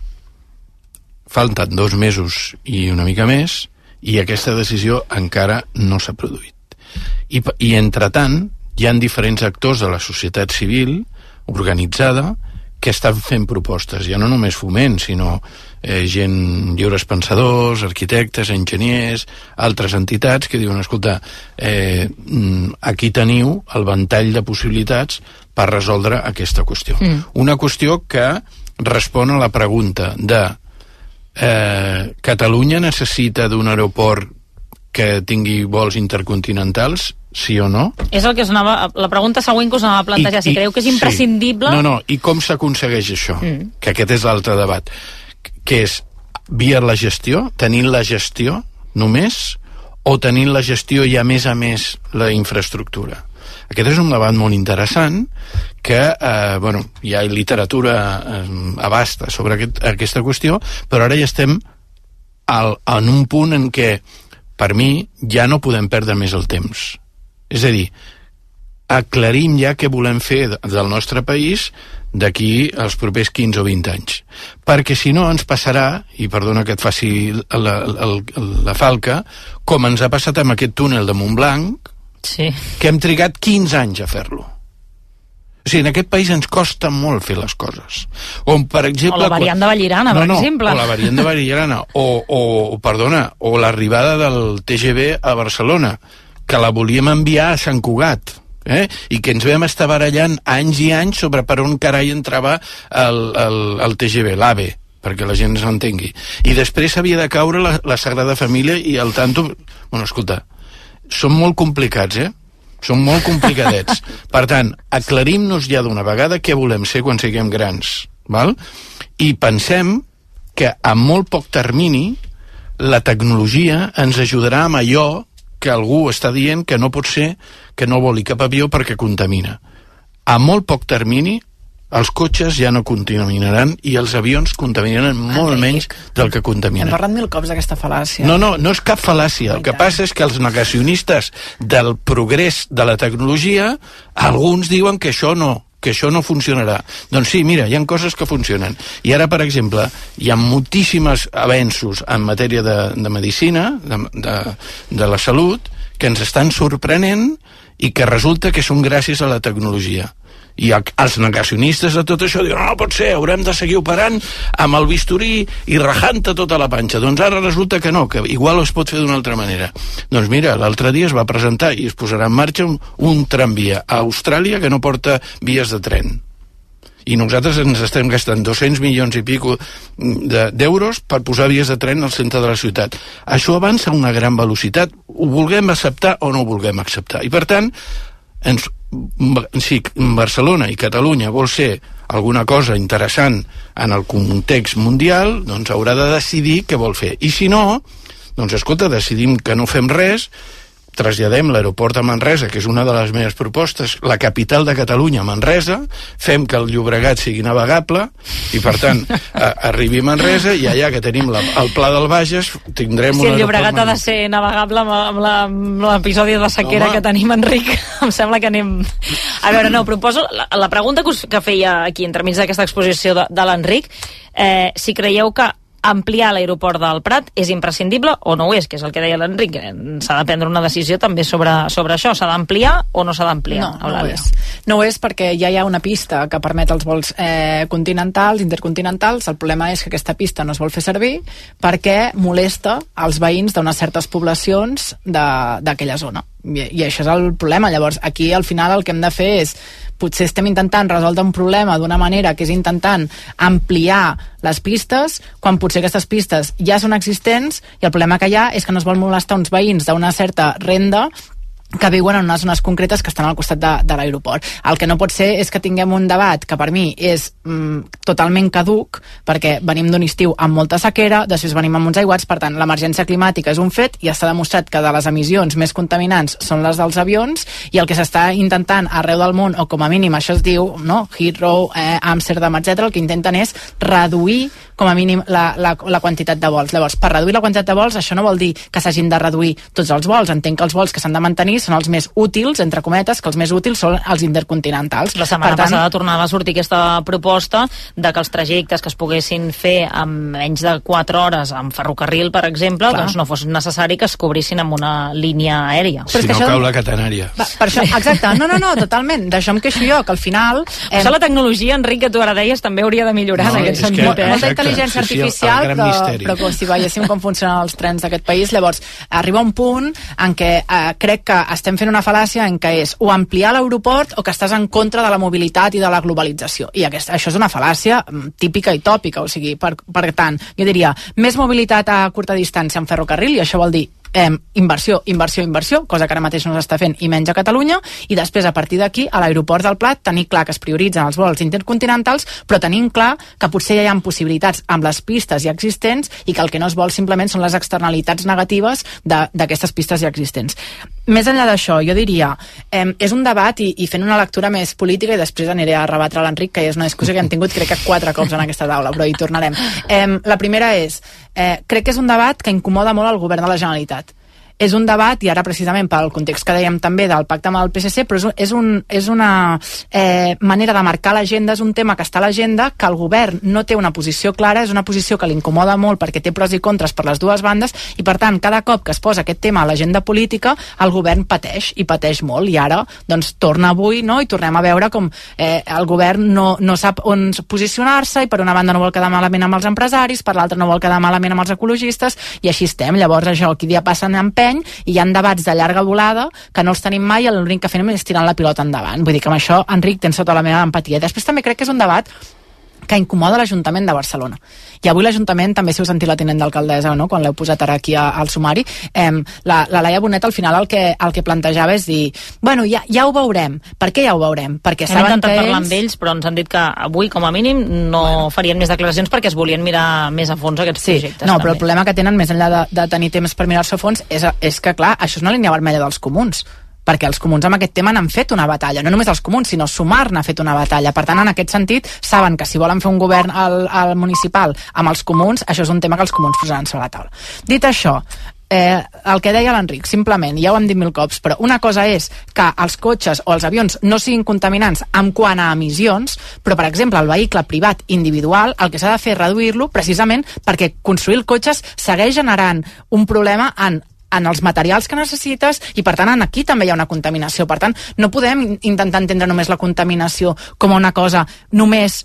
Falten dos mesos i una mica més, i aquesta decisió encara no s'ha produït. I, i entretant, hi ha diferents actors de la societat civil organitzada que estan fent propostes, ja no només Foment, sinó eh, gent, lliures pensadors, arquitectes, enginyers, altres entitats que diuen, escolta, eh, aquí teniu el ventall de possibilitats per resoldre aquesta qüestió. Mm. Una qüestió que respon a la pregunta de eh, Catalunya necessita d'un aeroport que tingui vols intercontinentals, sí o no? És el que us anava, la pregunta següent que us anava a plantejar, I, si creieu que és imprescindible... Sí. No, no, i com s'aconsegueix això? Mm. Que aquest és l'altre debat. Que és via la gestió, tenint la gestió només, o tenint la gestió i a més a més la infraestructura? Aquest és un debat molt interessant que, eh, bueno, hi ha literatura eh, abasta sobre aquest, aquesta qüestió, però ara ja estem al, en un punt en què, per mi, ja no podem perdre més el temps. És a dir, aclarim ja què volem fer del nostre país d'aquí als propers quinze o vint anys. Perquè si no ens passarà, i perdona que et faci la, la, la falca, com ens ha passat amb aquest túnel de Montblanc, sí. que hem trigat quinze anys a fer-lo. O sigui, en aquest país ens costa molt fer les coses. O, per exemple, o la variant de Vallirana, no, per no, exemple. O la variant de Vallirana, o, o, perdona, o l'arribada del T G V a Barcelona, que la volíem enviar a Sant Cugat, eh? I que ens vam estar barallant anys i anys sobre per on carai entrava el, el, el T G V, l'AVE, perquè la gent s'entengui. I després havia de caure la, la Sagrada Família i el tanto... Bueno, escolta, són molt complicats, eh? Són molt complicadets. Per tant, aclarim-nos ja d'una vegada què volem ser quan siguem grans, val? I pensem que a molt poc termini la tecnologia ens ajudarà amb allò que algú està dient que no pot ser que no voli cap avió perquè contamina. A molt poc termini els cotxes ja no contaminaran i els avions contaminaran molt menys del que contaminen. Hem parlat mil cops d'aquesta fal·làcia. No, no, no és cap fal·làcia. El que passa és que els negacionistes del progrés de la tecnologia, alguns diuen que això no, que això no funcionarà. Doncs sí, mira, hi ha coses que funcionen. I ara, per exemple, hi ha moltíssims avenços en matèria de, de medicina, de, de, de la salut, que ens estan sorprenent i que resulta que són gràcies a la tecnologia. I els negacionistes de tot això diuen, no, no pot ser, haurem de seguir operant amb el bisturí i rajant-te tota la panxa. Doncs ara resulta que no, que igual es pot fer d'una altra manera. Doncs mira, l'altre dia es va presentar i es posarà en marxa un, un tramvia a Austràlia que no porta vies de tren. I nosaltres ens estem gastant dos-cents milions i pico d'euros per posar vies de tren al centre de la ciutat. Això avança a una gran velocitat, ho vulguem acceptar o no ho vulguem acceptar. I per tant, ens, si Barcelona i Catalunya vol ser alguna cosa interessant en el context mundial, doncs haurà de decidir què vol fer. I si no, doncs escolta, decidim que no fem res, traslladem l'aeroport a Manresa, que és una de les meves propostes, la capital de Catalunya, Manresa, fem que el Llobregat sigui navegable i, per tant, a, arribi a Manresa i allà que tenim la, el Pla del Bages tindrem si un el Llobregat ha de ser navegable amb l'episodi de sequera Home. que tenim, Enric, em sembla que anem... A veure, no, proposo la, la pregunta que, us, que feia aquí entremig d'aquesta exposició de, de l'Enric, eh, si creieu que ampliar l'aeroport del Prat és imprescindible o no ho és, que és el que deia l'Enric, s'ha de prendre una decisió també sobre, sobre això, s'ha d'ampliar o no s'ha d'ampliar? No, no ho és. No ho és perquè ja hi ha una pista que permet els vols eh, continentals, intercontinentals. El problema és que aquesta pista no es vol fer servir perquè molesta als veïns d'unes certes poblacions d'aquella zona. I, I això és el problema. Llavors, aquí al final el que hem de fer és, potser estem intentant resoldre un problema d'una manera que és intentant ampliar les pistes, quan potser aquestes pistes ja són existents i el problema que hi ha és que no es vol molestar uns veïns d'una certa renda que viuen en unes zones concretes que estan al costat de, de l'aeroport. El que no pot ser és que tinguem un debat que per mi és mm, totalment caduc, perquè venim d'un estiu amb molta sequera, després venim amb uns aiguats, per tant, l'emergència climàtica és un fet i està demostrat que de les emissions més contaminants són les dels avions i el que s'està intentant arreu del món, o com a mínim això es diu, no? Heathrow, eh, Amsterdam, etcètera, el que intenten és reduir com a mínim la, la, la quantitat de vols. Llavors, per reduir la quantitat de vols, això no vol dir que s'hagin de reduir tots els vols. Entenc que els vols que s'han de mantenir són els més útils, entre cometes, que els més útils són els intercontinentals. La setmana per tant, passada tornava a sortir aquesta proposta de que els trajectes que es poguessin fer en menys de quatre hores amb ferrocarril, per exemple, clar, doncs no fos necessari que es cobrissin amb una línia aèria. Si no això... cau la catenària. Va, per això, exacte, no, no, no, totalment. D'això em queixo jo, que al final... Eh... Això la tecnologia, Enric, que tu ara deies, també hauria de millorar no, en aquest sentit. Que, eh? Molta intel·ligència sí, artificial, sí, però, però com si veiéssim com funcionen els trens d'aquest país. Llavors, arriba un punt en què eh, crec que estem fent una fal·làcia en què és o ampliar l'aeroport o que estàs en contra de la mobilitat i de la globalització. I aquest, això és una fal·làcia típica i tòpica, o sigui, per, per tant, jo diria, més mobilitat a curta distància en ferrocarril, i això vol dir Eh, inversió, inversió, inversió, cosa que ara mateix no s'està fent i menys a Catalunya, i després a partir d'aquí a l'aeroport del Prat tenir clar que es prioritzen els vols intercontinentals, però tenim clar que potser ja hi ha possibilitats amb les pistes ja existents i que el que no es vol simplement són les externalitats negatives d'aquestes pistes ja existents. Més enllà d'això, jo diria, eh, és un debat i, i fent una lectura més política, i després aniré a rebatre a l'Enric, que és una discussió que hem tingut crec que quatre cops en aquesta taula, però hi tornarem. Eh, la primera és, eh, crec que és un debat que incomoda molt al govern de la Generalitat. és un debat, i ara precisament pel context que dèiem també del pacte amb el P S C, però és, és, un, és una eh, manera de marcar l'agenda, és un tema que està a l'agenda, que el govern no té una posició clara, és una posició que l'incomoda molt perquè té pros i contres per les dues bandes, i per tant, cada cop que es posa aquest tema a l'agenda política, el govern pateix, i pateix molt, i ara doncs torna avui, no?, i tornem a veure com eh, el govern no, no sap on posicionar-se, i per una banda no vol quedar malament amb els empresaris, per l'altra no vol quedar malament amb els ecologistes, i així estem. Llavors això, aquí dia passa en empeny, i hi ha debats de llarga volada que no els tenim mai, i l'únic que fem és tirant la pilota endavant. Vull dir que amb això, Enric, tens tota la meva empatia. Després també crec que és un debat que incomoda l'Ajuntament de Barcelona. I avui l'Ajuntament, també si heu sentit la tinent d'alcaldessa, no?, quan l'heu posat ara aquí a, al sumari, eh, la, la Laia Bonet al final el que, el que plantejava és dir, bueno, ja, ja ho veurem. Per què ja ho veurem? Perquè Hem saben intentat que parlar ells... amb ells, però ens han dit que avui, com a mínim, no bueno. farien més declaracions perquè es volien mirar més a fons aquests sí, projectes. No, també. però el problema que tenen, més enllà de, de tenir temps per mirar-se a fons, és, és que, clar, això és una línia vermella dels comuns, perquè els comuns amb aquest tema n'han fet una batalla, no només els comuns, sinó Sumar n'ha fet una batalla. Per tant, en aquest sentit, saben que si volen fer un govern al, al municipal amb els comuns, això és un tema que els comuns posaran sobre la taula. Dit això, eh, el que deia l'Enric, simplement, ja ho hem dit mil cops, però una cosa és que els cotxes o els avions no siguin contaminants en quant a emissions, però, per exemple, el vehicle privat individual, el que s'ha de fer és reduir-lo precisament perquè construir els cotxes segueix generant un problema en en els materials que necessites, i per tant aquí també hi ha una contaminació. Per tant, no podem intentar entendre només la contaminació com una cosa només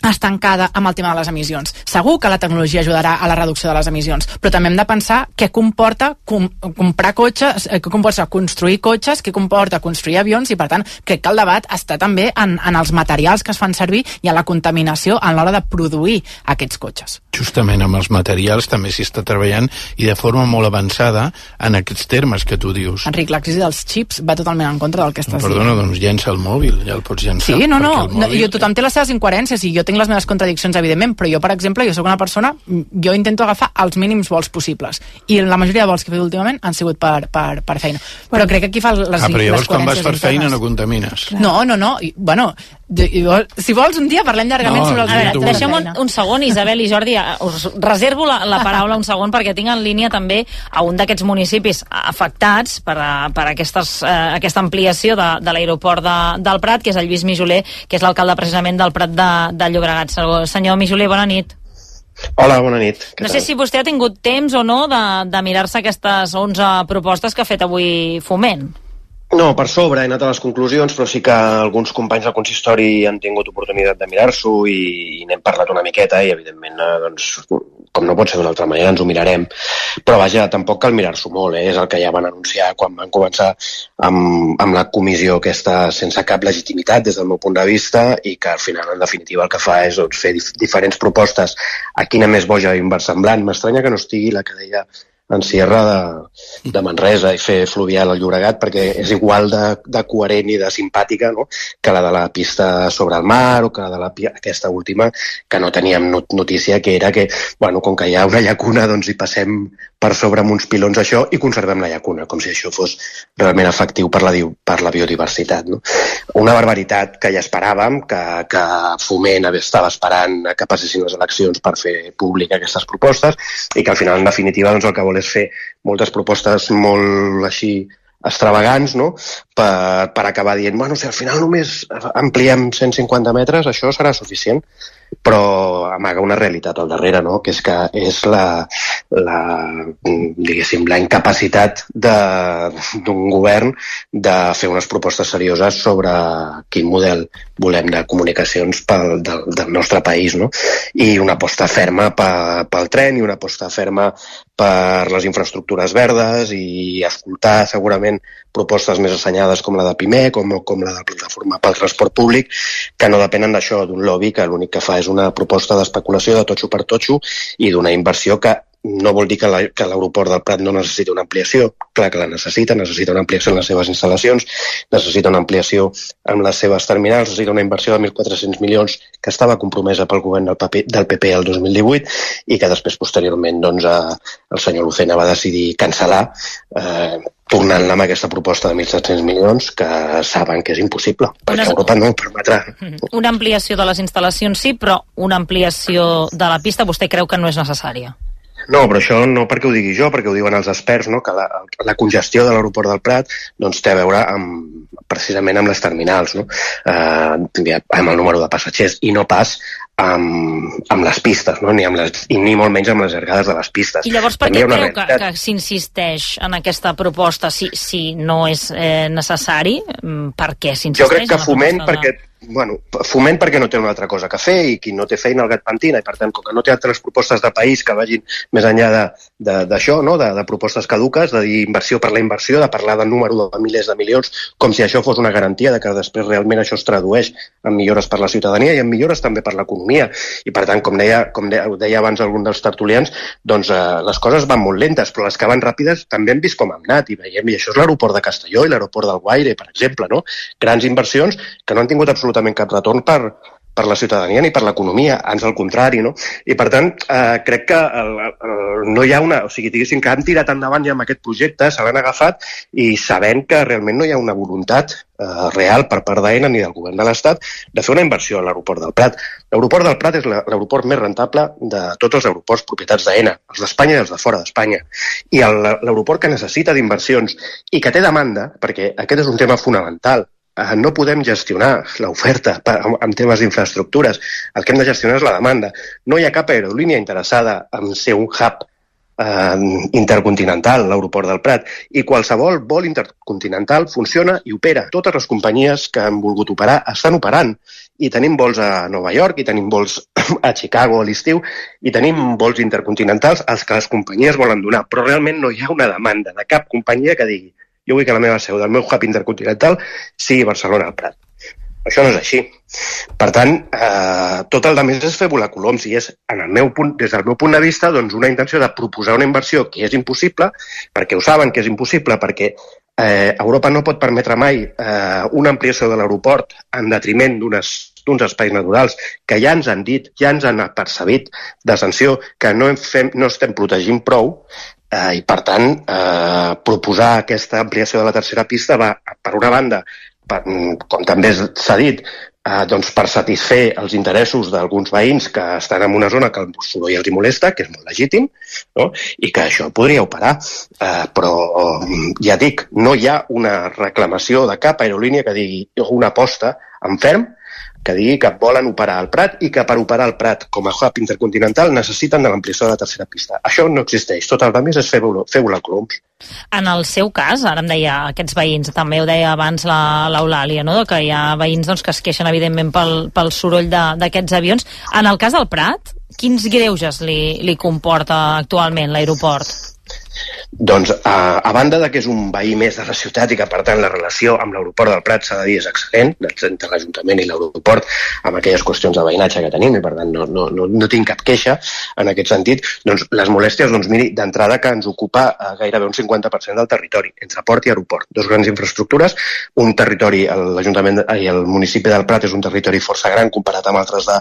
estancada amb el tema de les emissions. Segur que la tecnologia ajudarà a la reducció de les emissions, però també hem de pensar què comporta com, comprar cotxes, què comporta construir cotxes, què comporta construir avions, i per tant crec que el debat està també en, en els materials que es fan servir i en la contaminació a l'hora de produir aquests cotxes. Justament amb els materials també s'hi està treballant, i de forma molt avançada en aquests termes que tu dius. Enric, la crisi dels xips va totalment en contra del que estàs Perdona, dient. doncs llença el mòbil, ja el pots llençar. Sí, no, no, mòbil... no jo, tothom té les seves incoherències i jo tinc les meves contradiccions, evidentment, però jo, per exemple, jo sóc una persona, jo intento agafar els mínims vols possibles, i la majoria de vols que he fet últimament han sigut per, per, per feina. Però crec que aquí fa les, ah, però llavors les quan vas per internes. feina no contamines. No, no, no, I, bueno, jo, si vols un dia parlem llargament no, sobre els A veure, mínims. deixem un, un segon, Isabel i Jordi, us reservo la, la paraula un segon perquè tinc en línia també a un d'aquests municipis afectats per, a, per aquestes, eh, aquesta ampliació de, de l'aeroport de, del Prat, que és el Lluís Mijoler, que és l'alcalde precisament del Prat de, de Llobregat. Senyor Mijoler, bona nit. Hola, bona nit. No sé si vostè ha tingut temps o no de, de mirar-se aquestes onze propostes que ha fet avui Foment. No, per sobre he anat a les conclusions, però sí que alguns companys del consistori han tingut oportunitat de mirar-s'ho i, i n'hem parlat una miqueta i, evidentment, eh, doncs, com no pot ser d'una altra manera, ens ho mirarem. Però, vaja, tampoc cal mirar-s'ho molt, eh? És el que ja van anunciar quan van començar amb, amb la comissió aquesta sense cap legitimitat des del meu punt de vista i que, al final, en definitiva, el que fa és doncs, fer dif diferents propostes a quina més boja i inversemblant. M'estranya que no estigui la que deia en Sierra de, de Manresa i fer fluvial al Llobregat, perquè és igual de, de coherent i de simpàtica, no?, que la de la pista sobre el mar o que la de la, aquesta última que no teníem not notícia, que era que, bueno, com que hi ha una llacuna, doncs hi passem per sobre amb uns pilons això i conservem la llacuna, com si això fos realment efectiu per la, per la biodiversitat, no? Una barbaritat que ja esperàvem, que, que Foment estava esperant que passessin les eleccions per fer pública aquestes propostes i que al final, en definitiva, doncs el que vol és fer moltes propostes molt així extravagants, no?, per, per acabar dient, bueno, si al final només ampliem cent cinquanta metres, això serà suficient, però amaga una realitat al darrere, no?, que és que és la, la diguéssim, la incapacitat d'un govern de fer unes propostes serioses sobre quin model volem de comunicacions pel, del, del nostre país, no?, i una aposta ferma pel, pel tren i una aposta ferma per les infraestructures verdes i escoltar segurament propostes més assenyades com la de Pimec, com, com la de la plataforma pel transport públic, que no depenen d'això, d'un lobby que l'únic que fa és una proposta d'especulació de totxo per totxo i d'una inversió que no vol dir que l'aeroport del Prat no necessita una ampliació, clar que la necessita, necessita una ampliació en les seves instal·lacions, necessita una ampliació en les seves terminals, necessita una inversió de mil quatre-cents milions que estava compromesa pel govern del P P el dos mil divuit i que després, posteriorment, doncs, el senyor Lucena va decidir cancel·lar, eh, tornant amb aquesta proposta de mil set-cents milions que saben que és impossible, perquè Europa no ho permetrà. Una ampliació de les instal·lacions sí, però una ampliació de la pista vostè creu que no és necessària? No, però això no perquè ho digui jo, perquè ho diuen els experts, no? Que la, la congestió de l'aeroport del Prat doncs, té a veure amb, precisament amb les terminals, no? eh, amb el número de passatgers i no pas amb, amb les pistes, no? Ni, amb les, i ni molt menys amb les llargades de les pistes. I llavors per què creu que, que s'insisteix en aquesta proposta si, si no és eh, necessari? Per què s'insisteix? Jo crec que Foment perquè... Bueno, Foment perquè no té una altra cosa que fer i qui no té feina el gat pentina i per tant com que no té altres propostes de país que vagin més enllà d'això, no? de, de propostes caduques, de dir inversió per la inversió, de parlar del número de milers de milions com si això fos una garantia de que després realment això es tradueix en millores per la ciutadania i en millores també per l'economia i per tant com deia, com deia, deia abans algun dels tertulians, doncs eh, les coses van molt lentes però les que van ràpides també hem vist com hem anat i veiem, i això és l'aeroport de Castelló i l'aeroport del Guaire, per exemple, no? Grans inversions que no han tingut absolutament cap retorn per, per la ciutadania ni per l'economia, ans al contrari, no? I per tant, eh, crec que el, el, no hi ha una... O sigui, diguéssim que han tirat endavant ja amb aquest projecte, se l'han agafat i sabent que realment no hi ha una voluntat eh, real per part d'Aena ni del govern de l'Estat de fer una inversió a l'aeroport del Prat. L'aeroport del Prat és l'aeroport més rentable de tots els aeroports propietats d'Aena, els d'Espanya i els de fora d'Espanya. I l'aeroport que necessita d'inversions i que té demanda, perquè aquest és un tema fonamental, no podem gestionar l'oferta en temes d'infraestructures. El que hem de gestionar és la demanda. No hi ha cap aerolínia interessada en ser un hub eh, intercontinental, l'aeroport del Prat. I qualsevol vol intercontinental funciona i opera. Totes les companyies que han volgut operar estan operant. I tenim vols a Nova York, i tenim vols a Chicago a l'estiu, i tenim vols intercontinentals als que les companyies volen donar. Però realment no hi ha una demanda de cap companyia que digui jo vull que la meva seu del meu hub intercontinental sigui Barcelona al Prat. Això no és així. Per tant, eh, tot el més és fer volar coloms i és, en el meu punt, des del meu punt de vista, doncs una intenció de proposar una inversió que és impossible, perquè ho saben que és impossible, perquè eh, Europa no pot permetre mai eh, una ampliació de l'aeroport en detriment d'unes d'uns espais naturals que ja ens han dit, ja ens han apercebit de sanció que no, fem, no estem protegint prou. Eh, I, per tant, eh, proposar aquesta ampliació de la tercera pista va, per una banda, per, com també s'ha dit, eh, doncs per satisfer els interessos d'alguns veïns que estan en una zona que el soroll els hi molesta, que és molt legítim, no? I que això podria operar. Eh, però, ja dic, no hi ha una reclamació de cap aerolínia que digui una aposta en ferm que digui que volen operar al Prat i que per operar al Prat com a hub intercontinental necessiten de l'ampliació de la tercera pista. Això no existeix. Tot el més és fer volar coloms. En el seu cas, ara em deia aquests veïns, també ho deia abans l'Eulàlia, no? Que hi ha veïns doncs, que es queixen evidentment pel, pel soroll d'aquests avions. En el cas del Prat, quins greuges li, li comporta actualment l'aeroport? Doncs, a, a banda de que és un veí més de la ciutat i que, per tant, la relació amb l'aeroport del Prat s'ha de dir és excel·lent, entre l'Ajuntament i l'aeroport, amb aquelles qüestions de veïnatge que tenim, i per tant no, no, no, no tinc cap queixa en aquest sentit, doncs les molèsties, doncs miri, d'entrada que ens ocupa eh, gairebé un cinquanta per cent del territori, entre port i aeroport. Dos grans infraestructures, un territori, l'Ajuntament i el municipi del Prat és un territori força gran comparat amb altres de,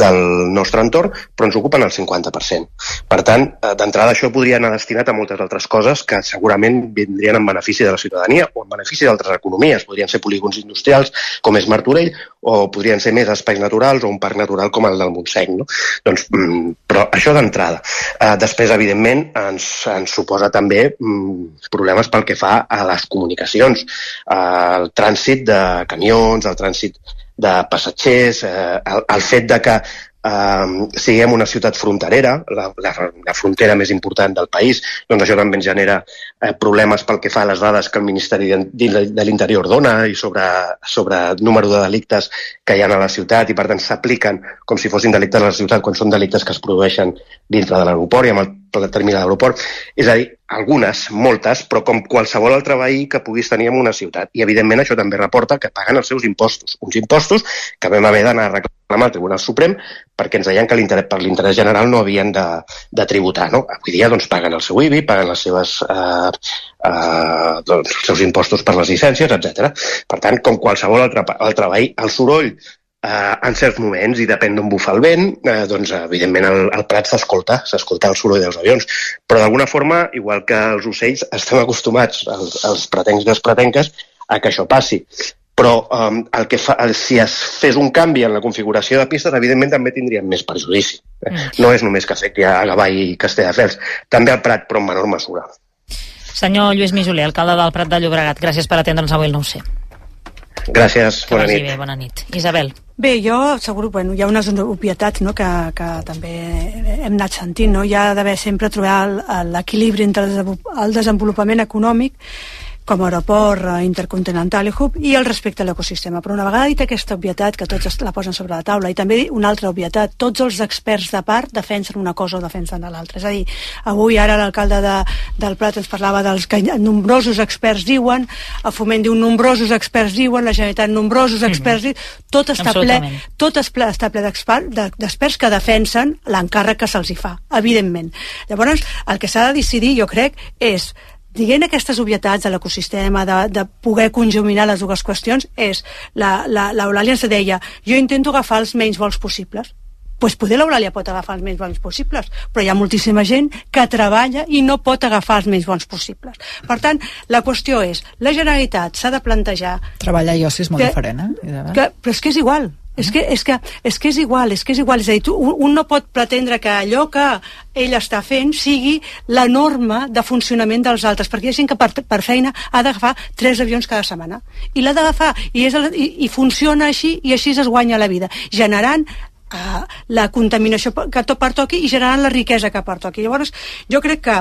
del nostre entorn, però ens ocupen el cinquanta per cent. Per tant, eh, d'entrada això podria anar destinat a moltes altres coses que segurament vindrien en benefici de la ciutadania o en benefici d'altres economies. Podrien ser polígons industrials com és Martorell o podrien ser més espais naturals o un parc natural com el del Montseny. No? Doncs, mm, però això d'entrada. Eh, després, evidentment, ens, ens suposa també mm, problemes pel que fa a les comunicacions, eh, el trànsit de camions, el trànsit de passatgers, eh, el, el fet de que Uh, siguem una ciutat fronterera, la, la, la frontera més important del país, doncs això també ens genera uh, problemes pel que fa a les dades que el Ministeri de, de, de l'Interior dona i sobre, sobre el número de delictes que hi ha a la ciutat i per tant s'apliquen com si fossin delictes a la ciutat quan són delictes que es produeixen dintre de l'aeroport i amb el termini de l'aeroport. És a dir, algunes, moltes, però com qualsevol altre veí que puguis tenir en una ciutat. I evidentment això també reporta que paguen els seus impostos. Uns impostos que vam haver d'anar a reclamar al Tribunal Suprem perquè ens deien que per l'interès general no havien de, de tributar. No? Avui dia doncs, paguen el seu I B I, paguen les seves, eh, eh, doncs, els seus impostos per les llicències, etcètera. Per tant, com qualsevol altre, altre veí, el soroll Uh, en certs moments, i depèn d'on bufa el vent, uh, doncs evidentment el, el Prat s'escolta, s'escolta el soroll dels avions, però d'alguna forma, igual que els ocells, estem acostumats, els, els pretencs i les pretenques, a que això passi. però um, el que fa, el, si es fes un canvi en la configuració de pistes, evidentment també tindríem més perjudici. Eh? Mm. No és només que afecti a Gavà i Castelldefels, també al Prat, però en menor mesura. Senyor Lluís Mijoler, alcalde del Prat de Llobregat, gràcies per atendre'ns avui el nou C. Gràcies, bona nit. Bé, bona nit. Isabel. Bé, jo, segur, bueno, hi ha unes obvietats, no?, que, que també hem anat sentint, no? Hi ha d'haver sempre trobar l'equilibri entre el desenvolupament econòmic com a aeroport intercontinental i hub i el respecte a l'ecosistema. Però una vegada dit aquesta obvietat, que tots la posen sobre la taula, i també una altra obvietat, tots els experts de part defensen una cosa o defensen l'altra. És a dir, avui ara l'alcalde de, del Prat ens parlava dels que nombrosos experts diuen, a Foment diu nombrosos experts diuen, la Generalitat nombrosos experts diuen, tot està ple, tot està ple d'experts que defensen l'encàrrec que se'ls hi fa, evidentment. Llavors, el que s'ha de decidir, jo crec, és dient aquestes obvietats de l'ecosistema, de, de poder conjuminar les dues qüestions, és, l'Eulàlia ens deia, jo intento agafar els menys vols possibles. Doncs pues poder l'Eulàlia pot agafar els menys vols possibles, però hi ha moltíssima gent que treballa i no pot agafar els menys bons possibles. Per tant, la qüestió és, la Generalitat s'ha de plantejar... Treballar i oci és molt que, diferent, eh? Que, però és que és igual. És que, és, que, és que és igual, és que és igual. És a dir, tu, un no pot pretendre que allò que ell està fent sigui la norma de funcionament dels altres, perquè hi ha gent que per, per feina ha d'agafar tres avions cada setmana. I l'ha d'agafar, i, és el, i, i funciona així, i així es guanya la vida, generant uh, la contaminació que tot pertoqui i generant la riquesa que pertoqui. Llavors, jo crec que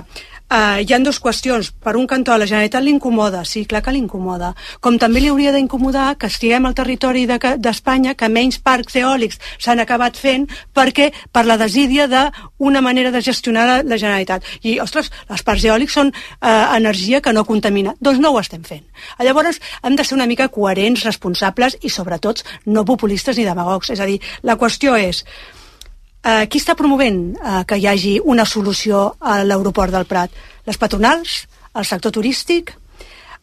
Uh, hi ha dues qüestions. Per un cantó, a la Generalitat l'incomoda, sí, clar que l'incomoda. Com també li hauria d'incomodar que estiguem al territori d'Espanya, de, que menys parcs eòlics s'han acabat fent perquè per la desídia d'una manera de gestionar la, la Generalitat. I, ostres, els parcs eòlics són uh, energia que no contamina. Doncs no ho estem fent. Llavors, hem de ser una mica coherents, responsables i, sobretot, no populistes ni demagogs. És a dir, la qüestió és... Uh, qui està promovent uh, que hi hagi una solució a l'aeroport del Prat? Les patronals, el sector turístic,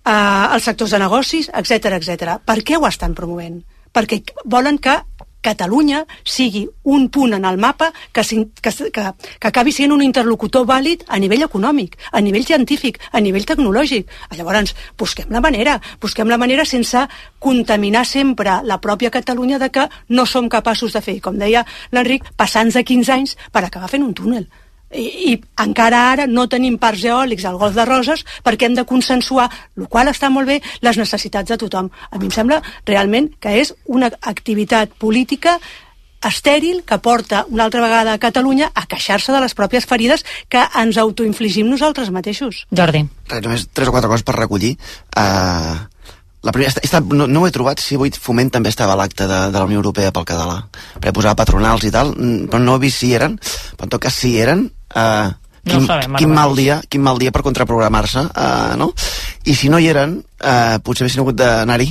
uh, els sectors de negocis, etcètera, etcètera. Per què ho estan promovent? Perquè volen que Catalunya sigui un punt en el mapa que, que, que, que acabi sent un interlocutor vàlid a nivell econòmic, a nivell científic, a nivell tecnològic. Llavors, busquem la manera, busquem la manera sense contaminar sempre la pròpia Catalunya de que no som capaços de fer, com deia l'Enric, passants de quinze anys per acabar fent un túnel. I, i encara ara no tenim parcs eòlics al Golf de Roses perquè hem de consensuar, el qual està molt bé, les necessitats de tothom. A mi em sembla realment que és una activitat política estèril que porta una altra vegada a Catalunya a queixar-se de les pròpies ferides que ens autoinfligim nosaltres mateixos. Jordi. Res, només tres o quatre coses per recollir. Uh, la primera, està, no, no ho he trobat si avui Foment també estava a l'acte de, de la Unió Europea pel català, perquè posava patronals i tal, però no he vist si eren, però en tot cas si eren, Uh, quin, no sabem, quin, mal dia, quin mal dia per contraprogramar-se, uh, no? I si no hi eren, uh, potser haguessin hagut d'anar-hi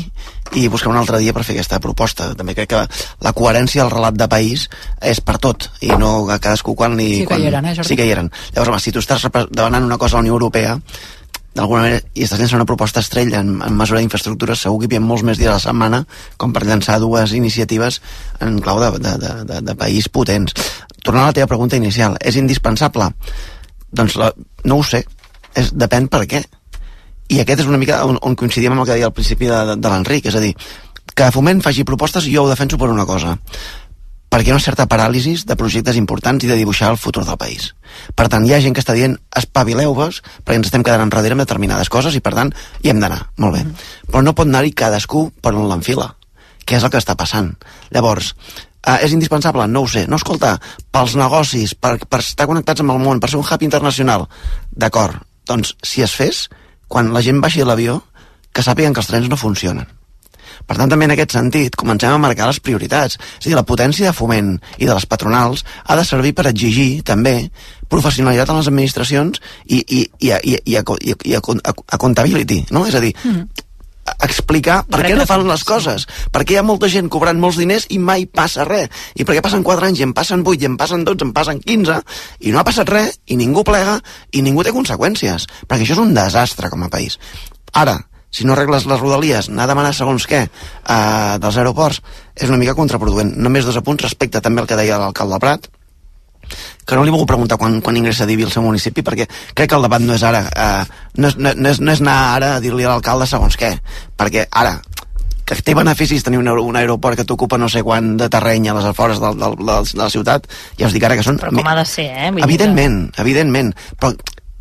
i buscar un altre dia per fer aquesta proposta. També crec que la coherència del relat de país és per tot, i no a cadascú quan li... Sí quan, que hi eren, eh, Jordi? Sí que hi eren. Llavors, home, si tu estàs demanant una cosa a la Unió Europea, d'alguna manera, i estàs llançant una proposta estrella en, en mesura d'infraestructures, segur que hi havia molts més dies a la setmana com per llançar dues iniciatives en clau de, de, de, de, de país potents. Tornant a la teva pregunta inicial, és indispensable? Doncs la, no ho sé, és, depèn per què. I aquest és una mica on, on coincidim amb el que deia al principi de, de, de l'Enric, és a dir, que Foment faci propostes, jo ho defenso per una cosa, perquè hi ha una certa paràlisi de projectes importants i de dibuixar el futur del país. Per tant, hi ha gent que està dient espavileu-vos perquè ens estem quedant enrere amb determinades coses i per tant hi hem d'anar, molt bé. Però no pot anar-hi cadascú per on l'enfila, que és el que està passant. Llavors, Uh, és indispensable? No ho sé. No, escolta, pels negocis, per, per estar connectats amb el món, per ser un hub internacional, d'acord. Doncs, si es fes, quan la gent baixi de l'avió, que sàpiguen que els trens no funcionen. Per tant, també en aquest sentit, comencem a marcar les prioritats. És a dir, la potència de Foment i de les patronals ha de servir per exigir, també, professionalitat en les administracions i, i, i, i, i, a, i, a, i a, a, a accountability, no? És a dir, mm. explicar per què no fan les coses, perquè hi ha molta gent cobrant molts diners i mai passa res, i perquè passen quatre anys i en passen vuit, i en passen dotze, en passen quinze i no ha passat res, i ningú plega i ningú té conseqüències, perquè això és un desastre com a país. Ara, si no arregles les rodalies, anar a demanar segons què uh, dels aeroports, és una mica contraproduent. Només dos apunts respecte també al que deia l'alcalde de Prat, que no li vull preguntar quan, quan ingressa a Divi al seu municipi, perquè crec que el debat no és ara, eh, no, és, no, és, no és anar ara a dir-li a l'alcalde segons què, perquè ara que té beneficis tenir un, un aeroport que t'ocupa no sé quant de terreny a les afores de, de, de, de la ciutat, ja us dic ara que són... Però com ha de ser, eh? Vull evidentment, que... evidentment. Però,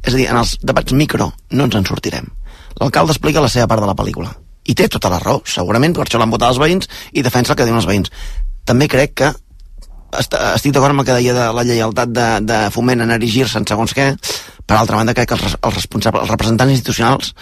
és a dir, en els debats micro no ens en sortirem. L'alcalde explica la seva part de la pel·lícula. I té tota la raó, segurament, per això l'han votat els veïns i defensa el que diuen els veïns. També crec que estic d'acord amb el que deia de la lleialtat de, de Foment en erigir-se en segons què. Per altra banda, crec que els, els responsables, els representants institucionals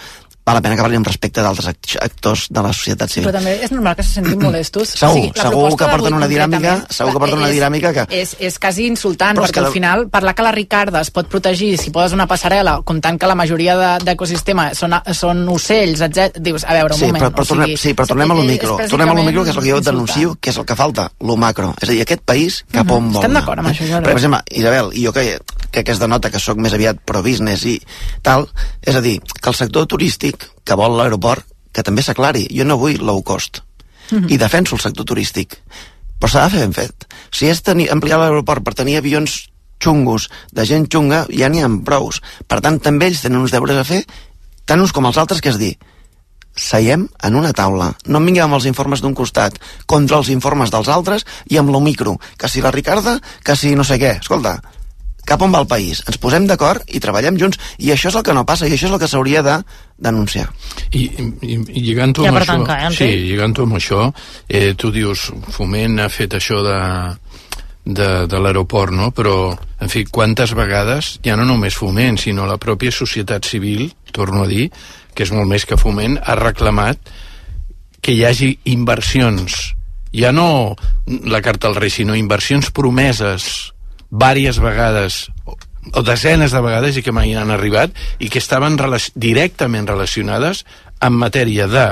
val la pena que parli amb respecte d'altres actors de la societat civil. Però també és normal que se sentin molestos. Segur, o sigui, segur que porten una dinàmica, segur que porten una dinàmica que... És, és quasi insultant, però perquè al final parlar que la Ricarda es pot protegir si poses una passarel·la, comptant que la majoria d'ecosistema de, són, són ocells, etcètera. Dius, a veure, un sí, moment. Però, però tornem, o sigui, sí, però tornem a lo micro. Tornem a lo micro, que és el que jo et denuncio, que és el que falta, lo macro. És a dir, aquest país cap on vol anar. Estem d'acord amb això, jo. Per exemple, Isabel, i jo que crec que es denota que sóc més aviat pro-business i tal, és a dir, que el sector turístic que vol l'aeroport, que també s'aclari. Jo no vull low cost. Mm-hmm. I defenso el sector turístic. Però s'ha de fer ben fet. Si és tenir, ampliar l'aeroport per tenir avions xungos, de gent xunga, ja n'hi ha prous. Per tant, també ells tenen uns deures a fer, tant uns com els altres, que és dir, seiem en una taula. No em vinguem amb els informes d'un costat contra els informes dels altres i amb lo micro. Que si la Ricarda, que si no sé què. Escolta, cap on va el país? Ens posem d'acord i treballem junts, i això és el que no passa, i això és el que s'hauria de denunciar. I, i, i lligant-ho ja amb això, tancar, eh, sí, lligant-ho amb això, eh, tu dius, Foment ha fet això de, de, de l'aeroport, no? Però, en fi, quantes vegades, ja no només Foment, sinó la pròpia societat civil, torno a dir, que és molt més que Foment, ha reclamat que hi hagi inversions, ja no la carta al rei, sinó inversions promeses vàries vegades o desenes de vegades i que mai han arribat i que estaven relac directament relacionades en matèria de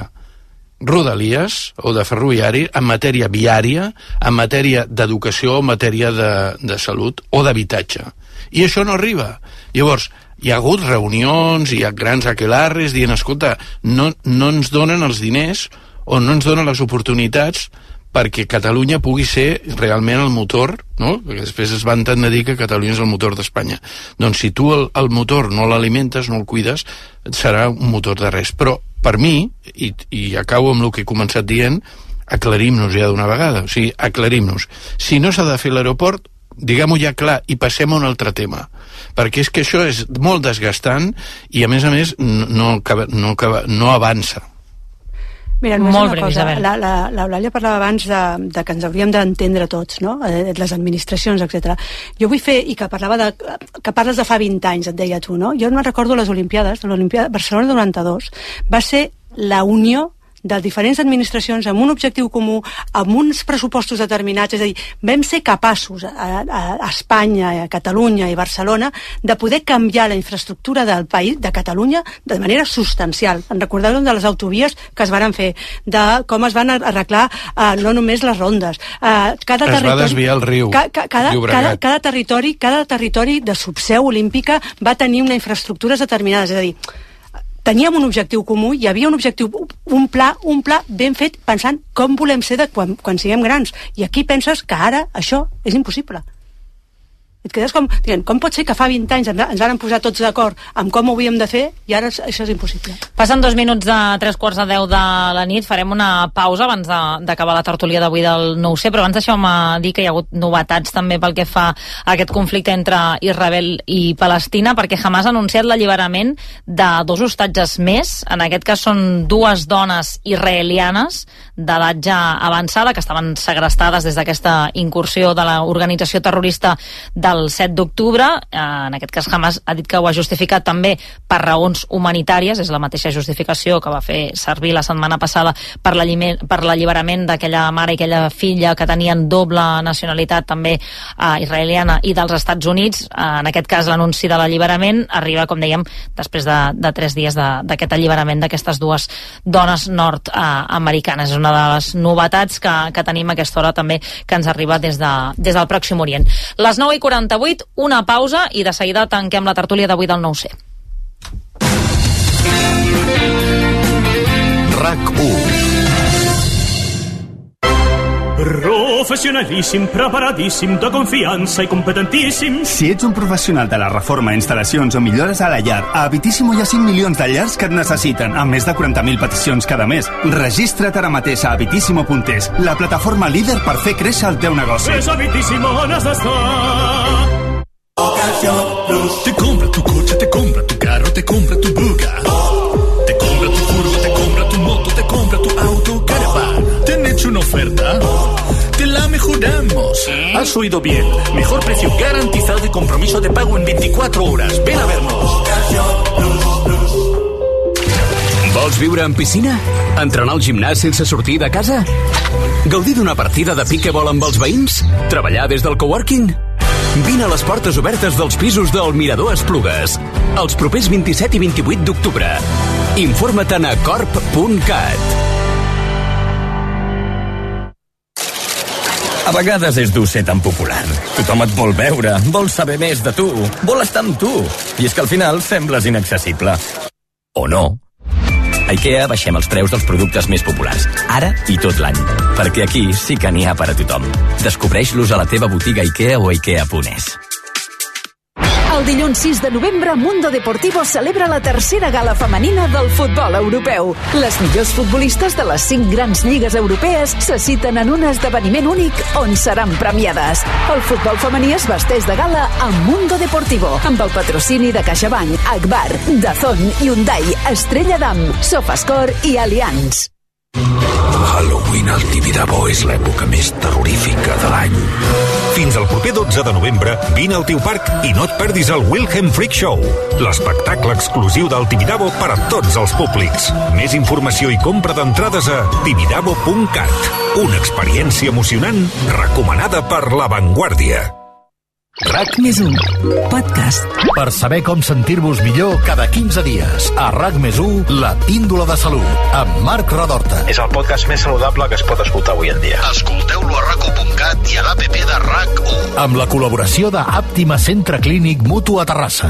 rodalies o de ferroviari, en matèria viària, en matèria d'educació, en matèria de, de salut o d'habitatge. I això no arriba. Llavors, hi ha hagut reunions, hi ha grans aquelarres dient, escolta, no, no ens donen els diners o no ens donen les oportunitats perquè Catalunya pugui ser realment el motor, no? Perquè després es van tendre a dir que Catalunya és el motor d'Espanya. Doncs si tu el, el motor no l'alimentes, no el cuides, serà un motor de res. Però per mi, i, i acabo amb el que he començat dient, aclarim-nos ja d'una vegada. O sigui, aclarim-nos. Si no s'ha de fer l'aeroport, diguem-ho ja clar i passem a un altre tema. Perquè és que això és molt desgastant i a més a més no, no, no, no avança. Mira, només Molt una breu, cosa. Isabel. La, la, l'Eulàlia parlava abans de, de que ens hauríem d'entendre tots, no? Eh, les administracions, etcètera. Jo vull fer, i que parlava de, que parles de fa vint anys, et deia tu, no? Jo no recordo les Olimpiades, l'Olimpiada Barcelona noranta-dos, va ser la unió de diferents administracions amb un objectiu comú, amb uns pressupostos determinats, és a dir, vam ser capaços a, a, a Espanya, a Catalunya i Barcelona de poder canviar la infraestructura del país, de Catalunya, de manera substancial. En recordeu de les autovies que es van fer, de com es van arreglar eh, no només les rondes. Eh, cada es va desviar el riu, ca, ca, cada, cada, cada, territori, cada territori de subseu olímpica va tenir una infraestructures determinades, és a dir, teníem un objectiu comú, hi havia un objectiu, un pla, un pla ben fet pensant com volem ser de quan, quan siguem grans. I aquí penses que ara això és impossible. Et quedes com, dient, com pot ser que fa vint anys ens, ens van posar tots d'acord amb com ho havíem de fer i ara això és impossible. Passen dos minuts de tres quarts de deu de la nit, farem una pausa abans d'acabar la tertúlia d'avui del nou C, però abans deixeu-me dir que hi ha hagut novetats també pel que fa a aquest conflicte entre Israel i Palestina, perquè Hamas ha anunciat l'alliberament de dos hostatges més, en aquest cas són dues dones israelianes d'edat ja avançada que estaven segrestades des d'aquesta incursió de l'organització terrorista de el set d'octubre, en aquest cas Hamas ha dit que ho ha justificat també per raons humanitàries, és la mateixa justificació que va fer servir la setmana passada per l'alliberament d'aquella mare i aquella filla que tenien doble nacionalitat també eh, israeliana i dels Estats Units. En aquest cas l'anunci de l'alliberament arriba, com dèiem, després de, de tres dies d'aquest alliberament d'aquestes dues dones nord-americanes. És una de les novetats que, que tenim a aquesta hora també que ens arriba des, de, des del Pròxim Orient. Les nou i quaranta-vuit, una pausa i de seguida tanquem la tertúlia d'avui del nou C. RAC u. Professionalíssim, preparadíssim, de confiança i competentíssim. Si ets un professional de la reforma, instal·lacions o millores a la llar, a Habitíssimo hi ha cinc milions de llars que et necessiten, amb més de quaranta mil peticions cada mes. Registra't ara mateix a habitíssimo punt es, la plataforma líder per fer créixer el teu negoci. És Habitíssimo on has d'estar. Te compra tu coche, te compra tu carro, te compra tu buga. Te compra tu furgo, te compra tu moto, te compra tu auto, caravan. ¿Te han hecho una oferta? Te la mejoramos. Has oído bien. Mejor precio garantizado y compromiso de pago en veinticuatro horas. Ven a vernos. Vols viure en piscina? Entrenar al gimnàs sense sortir de casa? Gaudir d'una partida de piquebol amb els veïns? Treballar des del coworking? Vine a les portes obertes dels pisos del Mirador Esplugues els propers vint-i-set i vint-i-vuit d'octubre. Informa-te'n a corp punt cat. A vegades és dur ser tan popular. Tothom et vol veure, vol saber més de tu, vol estar amb tu. I és que al final sembles inaccessible. O no. A IKEA baixem els preus dels productes més populars, ara i tot l'any. Perquè aquí sí que n'hi ha per a tothom. Descobreix-los a la teva botiga IKEA o ikea punt es. El dilluns sis de novembre, Mundo Deportivo celebra la tercera gala femenina del futbol europeu. Les millors futbolistes de les cinc grans lligues europees se citen en un esdeveniment únic on seran premiades. El futbol femení es vesteix de gala a Mundo Deportivo, amb el patrocini de CaixaBank, Agbar, Dazón, Hyundai, Estrella Damm, Sofascore i Allianz. Halloween al Tibidabo és l'època més terrorífica de l'any. Fins al proper dotze de novembre, vine al teu parc i no et perdis el Wilhelm Freak Show, l'espectacle exclusiu del Tibidabo per a tots els públics. Més informació i compra d'entrades a tibidabo punt cat. Una experiència emocionant recomanada per La Vanguardia. RAC més u, podcast. Per saber com sentir-vos millor cada quinze dies. A RAC més u, la píndola de salut, amb Marc Redorta. És el podcast més saludable que es pot escoltar avui en dia. Escolteu-lo a rac u punt cat i a l'app de RAC u. Amb la col·laboració de Àptima Centre Clínic Mutu a Terrassa.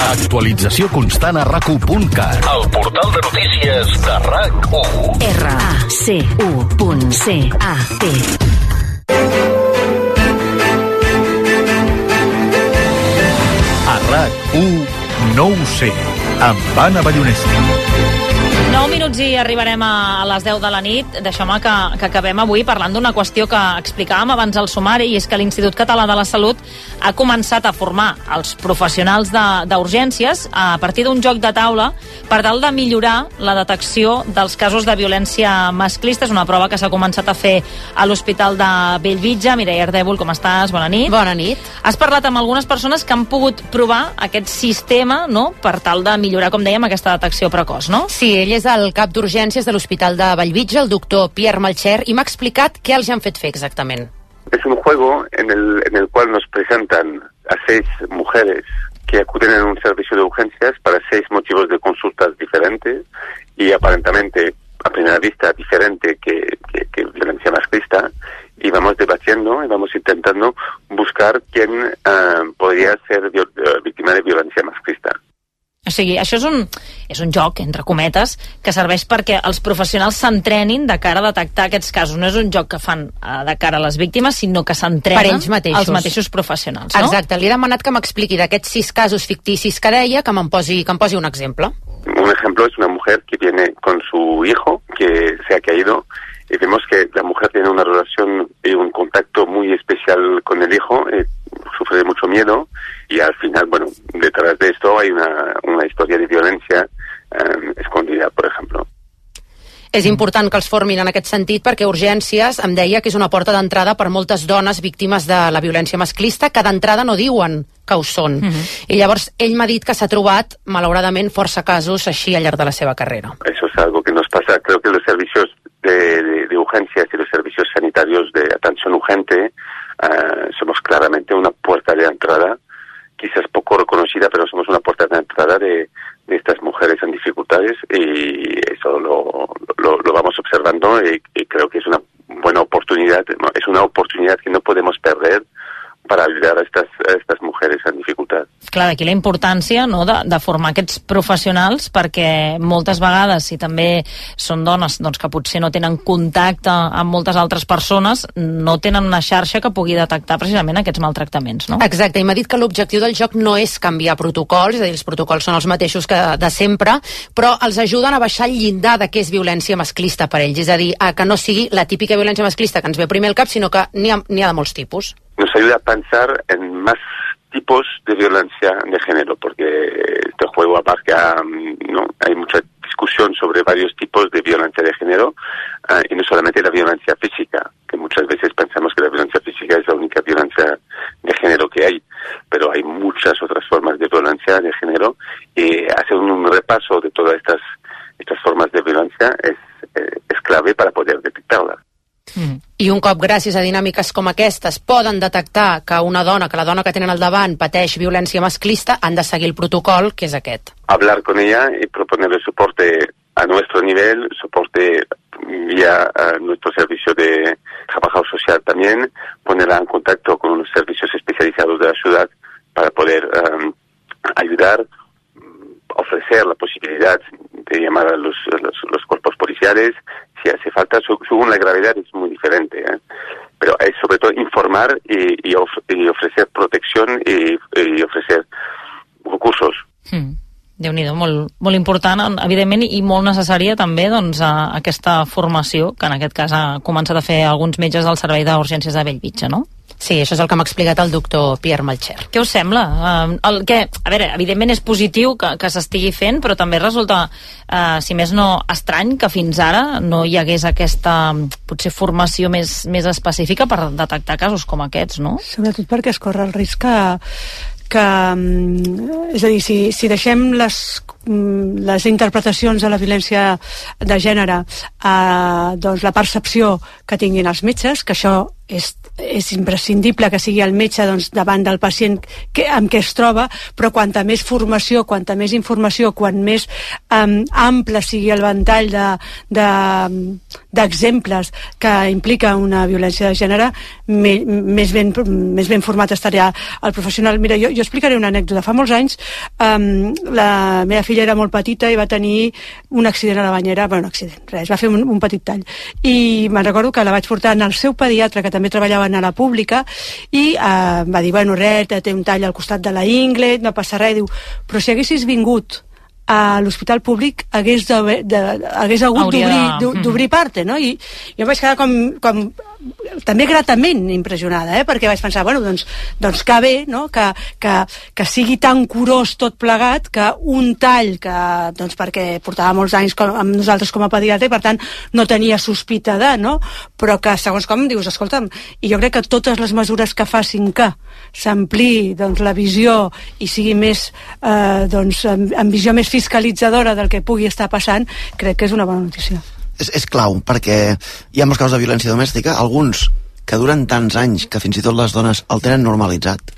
Actualització constant a rac u punt cat. El portal de notícies de RAC u. R A C U punt C A T. A RAC u, no ho sé, amb Anna Ballonesta. nou minuts i arribarem a les deu de la nit. Deixeu-me que, que acabem avui parlant d'una qüestió que explicàvem abans al sumari, i és que l'Institut Català de la Salut ha començat a formar els professionals d'urgències a partir d'un joc de taula per tal de millorar la detecció dels casos de violència masclista. És una prova que s'ha començat a fer a l'Hospital de Bellvitge. Mireia Ardèvol, com estàs? Bona nit. Bona nit. Has parlat amb algunes persones que han pogut provar aquest sistema, no?, per tal de millorar, com dèiem, aquesta detecció precoç, no? Sí, ell és el cap d'urgències de l'Hospital de Bellvitge, el doctor Pierre Malcher, i m'ha explicat què els han fet fer exactament. Es un juego en el, en el cual nos presentan a seis mujeres que acuden en un servicio de urgencias para seis motivos de consultas diferentes y aparentemente a primera vista diferente que, que, que violencia masclista, y vamos debatiendo y vamos intentando buscar quién uh, podría ser viol, uh, víctima de violencia masclista. O sigui, això és un, és un joc, entre cometes, que serveix perquè els professionals s'entrenin de cara a detectar aquests casos. No és un joc que fan uh, de cara a les víctimes, sinó que s'entrenen ells mateixos. Els mateixos professionals, no? Exacte, li he demanat que m'expliqui d'aquests sis casos ficticis que deia, que me'n posi, que em posi un exemple. Un ejemplo es una mujer que viene con su hijo, que se ha caído, y vemos que la mujer tiene una relación y un contacto muy especial con el hijo, eh, sufre de mucho miedo, y al final, bueno, detrás de esto hay una, una historia de violencia eh, escondida, por ejemplo. És important que els formin en aquest sentit perquè Urgències em deia que és una porta d'entrada per moltes dones víctimes de la violència masclista que d'entrada no diuen que ho són. Uh-huh. I llavors ell m'ha dit que s'ha trobat, malauradament, força casos així al llarg de la seva carrera. Eso es algo que nos pasa. Creo que los servicios de, de, de urgencias y los servicios sanitarios de atención urgente uh, somos claramente una puerta de entrada, quizás poco reconocida, pero somos una puerta de entrada de, de estas mujeres en dificultades, y eso lo, lo, lo vamos observando, y, y creo que es una buena oportunidad, es una oportunidad que no podemos perder para ayudar a estas, a estas mujeres en dificultad. Clar, d'aquí la importància, no?, de, de formar aquests professionals, perquè moltes vegades, si també són dones doncs, que potser no tenen contacte amb moltes altres persones, no tenen una xarxa que pugui detectar precisament aquests maltractaments, no? Exacte, i m'ha dit que l'objectiu del joc no és canviar protocols, és a dir, els protocols són els mateixos que de sempre, però els ajuden a baixar el llindar de què és violència masclista per ells, és a dir, a que no sigui la típica violència masclista que ens ve primer al cap, sinó que n'hi ha, n'hi ha de molts tipus. Nos ayuda a pensar en más tipos de violencia de género, porque este juego abarca, ¿no? Hay mucha discusión sobre varios tipos de violencia de género, uh, y no solamente la violencia física, que muchas veces pensamos que la violencia física es la única violencia de género que hay, pero hay muchas otras formas de violencia de género, y hacer un repaso de todas estas, estas formas de violencia es, eh, es clave para poder detectarlas. Mm. I un cop, gràcies a dinàmiques com aquestes, poden detectar que una dona, que la dona que tenen al davant pateix violència masclista, han de seguir el protocol, que és aquest. Hablar con ella y proponerle soporte a nuestro nivel, soporte vía uh, nuestro servicio de trabajo social también, ponerla en contacto con unos servicios especializados de la ciudad para poder um, ayudar, ofrecer la posibilidad de llamar a los, los, los cuerpos policiales, si hace falta, según la gravedad es muy diferente, ¿eh? Pero es sobre todo informar y, y, of, y ofrecer protección y, y ofrecer recursos. Mm. Déu-n'hi-do, molt, molt important, evidentment, i molt necessària també doncs, a, aquesta formació, que en aquest cas ha començat a fer alguns metges del Servei d'Urgències de Bellvitge, no? Sí, això és el que m'ha explicat el doctor Pierre Malcher. Què us sembla? Uh, el que, a veure, evidentment és positiu que, que s'estigui fent, però també resulta, uh, si més no, estrany que fins ara no hi hagués aquesta, potser, formació més, més específica per detectar casos com aquests, no? Sobretot perquè es corre el risc que que, és a dir, si, si deixem les, les interpretacions de la violència de gènere a doncs, la percepció que tinguin els metges, que això és, és imprescindible que sigui el metge doncs, davant del pacient que, amb què es troba, però quanta més formació, quanta més informació, quan més um, ample sigui el ventall de, de, d'exemples que implica una violència de gènere, me, més, ben, més ben format estaria el professional. Mira, jo, jo explicaré una anècdota. Fa molts anys um, la meva filla era molt petita i va tenir un accident a la banyera, bueno, un accident, res, va fer un, un petit tall. I me'n recordo que la vaig portar al seu pediatre, que també treballaven a la pública, i eh, va dir, bueno, res, té un tall al costat de la ingle, no passa res. Diu, però si haguessis vingut a l'hospital públic hagués, de, de, hagués hagut d'obrir, d'obrir parte, no? I jo vaig quedar com, com també gratament impressionada, eh? Perquè vaig pensar, bueno, doncs, doncs que bé, no? Que, que, que sigui tan curós tot plegat, que un tall que, doncs perquè portava molts anys com, amb nosaltres com a pediatre i per tant no tenia sospita de, no? Però que segons com dius, escolta'm, i jo crec que totes les mesures que facin que s'ampliï doncs, la visió i sigui més, eh, doncs, amb, amb visió més fiscalitzadora del que pugui estar passant, crec que és una bona notícia. És, és clau, perquè hi ha molts casos de violència domèstica, alguns que duren tants anys que fins i tot les dones el tenen normalitzat,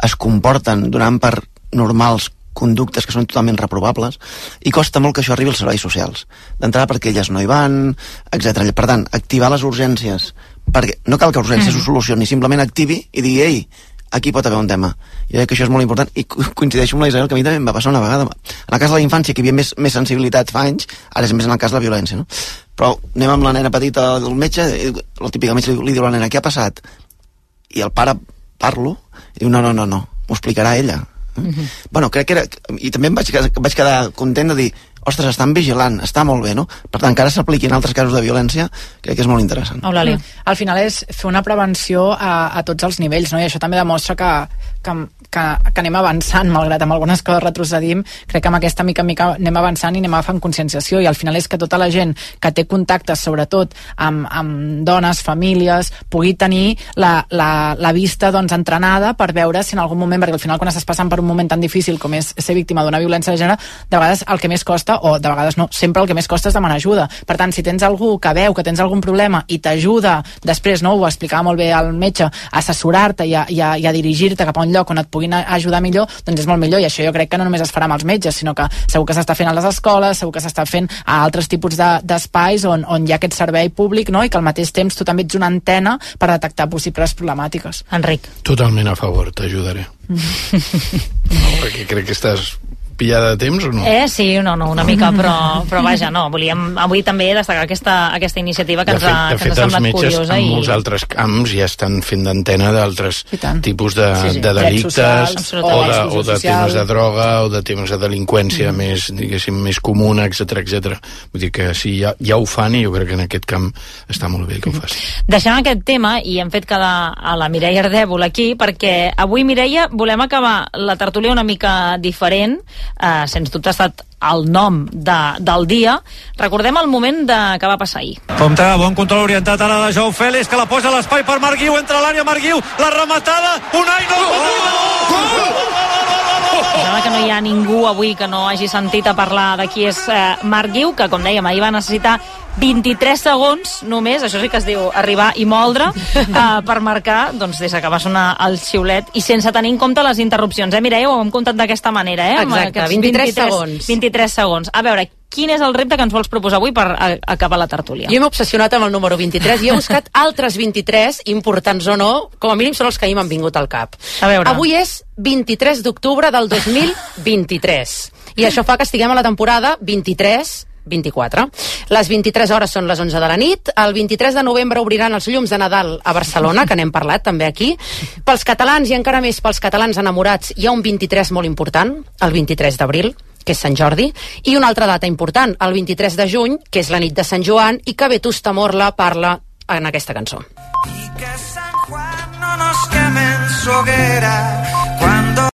es comporten donant per normals conductes que són totalment reprovables, i costa molt que això arribi als serveis socials. D'entrada perquè elles no hi van, etcètera. Per tant, activar les urgències, perquè no cal que urgències mm. ho solucioni, simplement activi i digui, ei, aquí pot haver un tema. Jo crec que això és molt important, i coincideixo amb la Isabel, que a mi també em va passar una vegada. En el cas de la infància, que hi havia més, més sensibilitat fa anys, ara és més en el cas de la violència, no? Però anem amb la nena petita del metge, el típic metge li diu a la nena, què ha passat? I el pare parlo, i diu, no, no, no, no, m'ho explicarà ella. Mm-hmm. Bueno, crec que era... I també em vaig, vaig quedar content de dir, ostres, estan vigilant, està molt bé, no? Per tant, que ara s'apliquin altres casos de violència, crec que és molt interessant. Eulàlia. Al final és fer una prevenció a, a tots els nivells, no? I això també demostra que, que, que, que anem avançant, malgrat amb algunes coses retrocedim, crec que amb aquesta mica en mica anem avançant i anem agafant conscienciació, i al final és que tota la gent que té contactes, sobretot amb, amb dones, famílies, pugui tenir la, la, la vista doncs, entrenada per veure si en algun moment, perquè al final quan estàs passant per un moment tan difícil com és ser víctima d'una violència de gènere, de vegades el que més costa, o de vegades no, sempre el que més costa és demanar ajuda. Per tant, si tens algú que veu que tens algun problema i t'ajuda després, no, ho explicava molt bé el metge, a assessorar-te i a, i a, i a dirigir-te cap a un lloc on et pugui puguin ajudar millor, doncs és molt millor, i això jo crec que no només es farà amb els metges, sinó que segur que s'està fent a les escoles, segur que s'està fent a altres tipus de, d'espais on, on hi ha aquest servei públic, no? I que al mateix temps tu també ets una antena per detectar possibles problemàtiques. Enric. Totalment a favor, t'ajudaré. No, perquè crec que estàs pillada de temps o no? Eh, sí, no, no, una mica, però, però vaja, no, volíem avui també destacar aquesta, aquesta iniciativa que de ens ha, fet, que ens ha semblat curiosa. De fet, els metges en i... molts altres camps ja estan fent d'antena d'altres tipus de, sí, sí. de delictes socials, o, de, o de temes de droga o de temes de delinqüència mm. més, diguéssim, més comuna, etcètera, etcètera. Vull dir que sí, ja, ja ho fan i jo crec que en aquest camp està molt bé que ho facin. Deixem aquest tema i hem fet quedar a la Mireia Ardèvol aquí perquè avui, Mireia, volem acabar la tertúlia una mica diferent, eh, sens dubte ha estat el nom de, del dia. Recordem el moment de, que va passar ahir. Compte, bon control orientat ara de Joao Félix, que la posa a l'espai per Marc Guiu, entra a l'àrea Marc Guiu, la rematada, Unai, no! Sembla que no hi ha ningú avui que no hagi sentit a parlar de qui és eh, Marc Guiu, que com dèiem, ahir va necessitar vint-i-tres segons només, això sí que es diu arribar i moldre, eh, per marcar, doncs des que va sonar el xiulet i sense tenir en compte les interrupcions. Eh, Mireia, ho hem comptat d'aquesta manera, eh? Exacte, vint-i-tres segons. vint-i-tres segons. A veure, quin és el repte que ens vols proposar avui per a, acabar la tertúlia? Jo m'he obsessionat amb el número vint-i-tres i he buscat altres vint-i-tres, importants o no, com a mínim són els que ahir m'han vingut al cap. A veure. Avui és vint-i-tres d'octubre del dos mil vint-i-tres i això fa que estiguem a la temporada vint-i-tres vint-i-quatre. Les vint-i-tres hores són les onze de la nit. El vint-i-tres de novembre obriran els llums de Nadal a Barcelona, que n'hem parlat també aquí. Pels catalans i encara més pels catalans enamorats hi ha un vint-i-tres molt important, el vint-i-tres d'abril, que és Sant Jordi, i una altra data important, el vint-i-tres de juny, que és la nit de Sant Joan, i que Vetusta Morla parla en aquesta cançó. Y que San Juan no nos queme en su hoguera,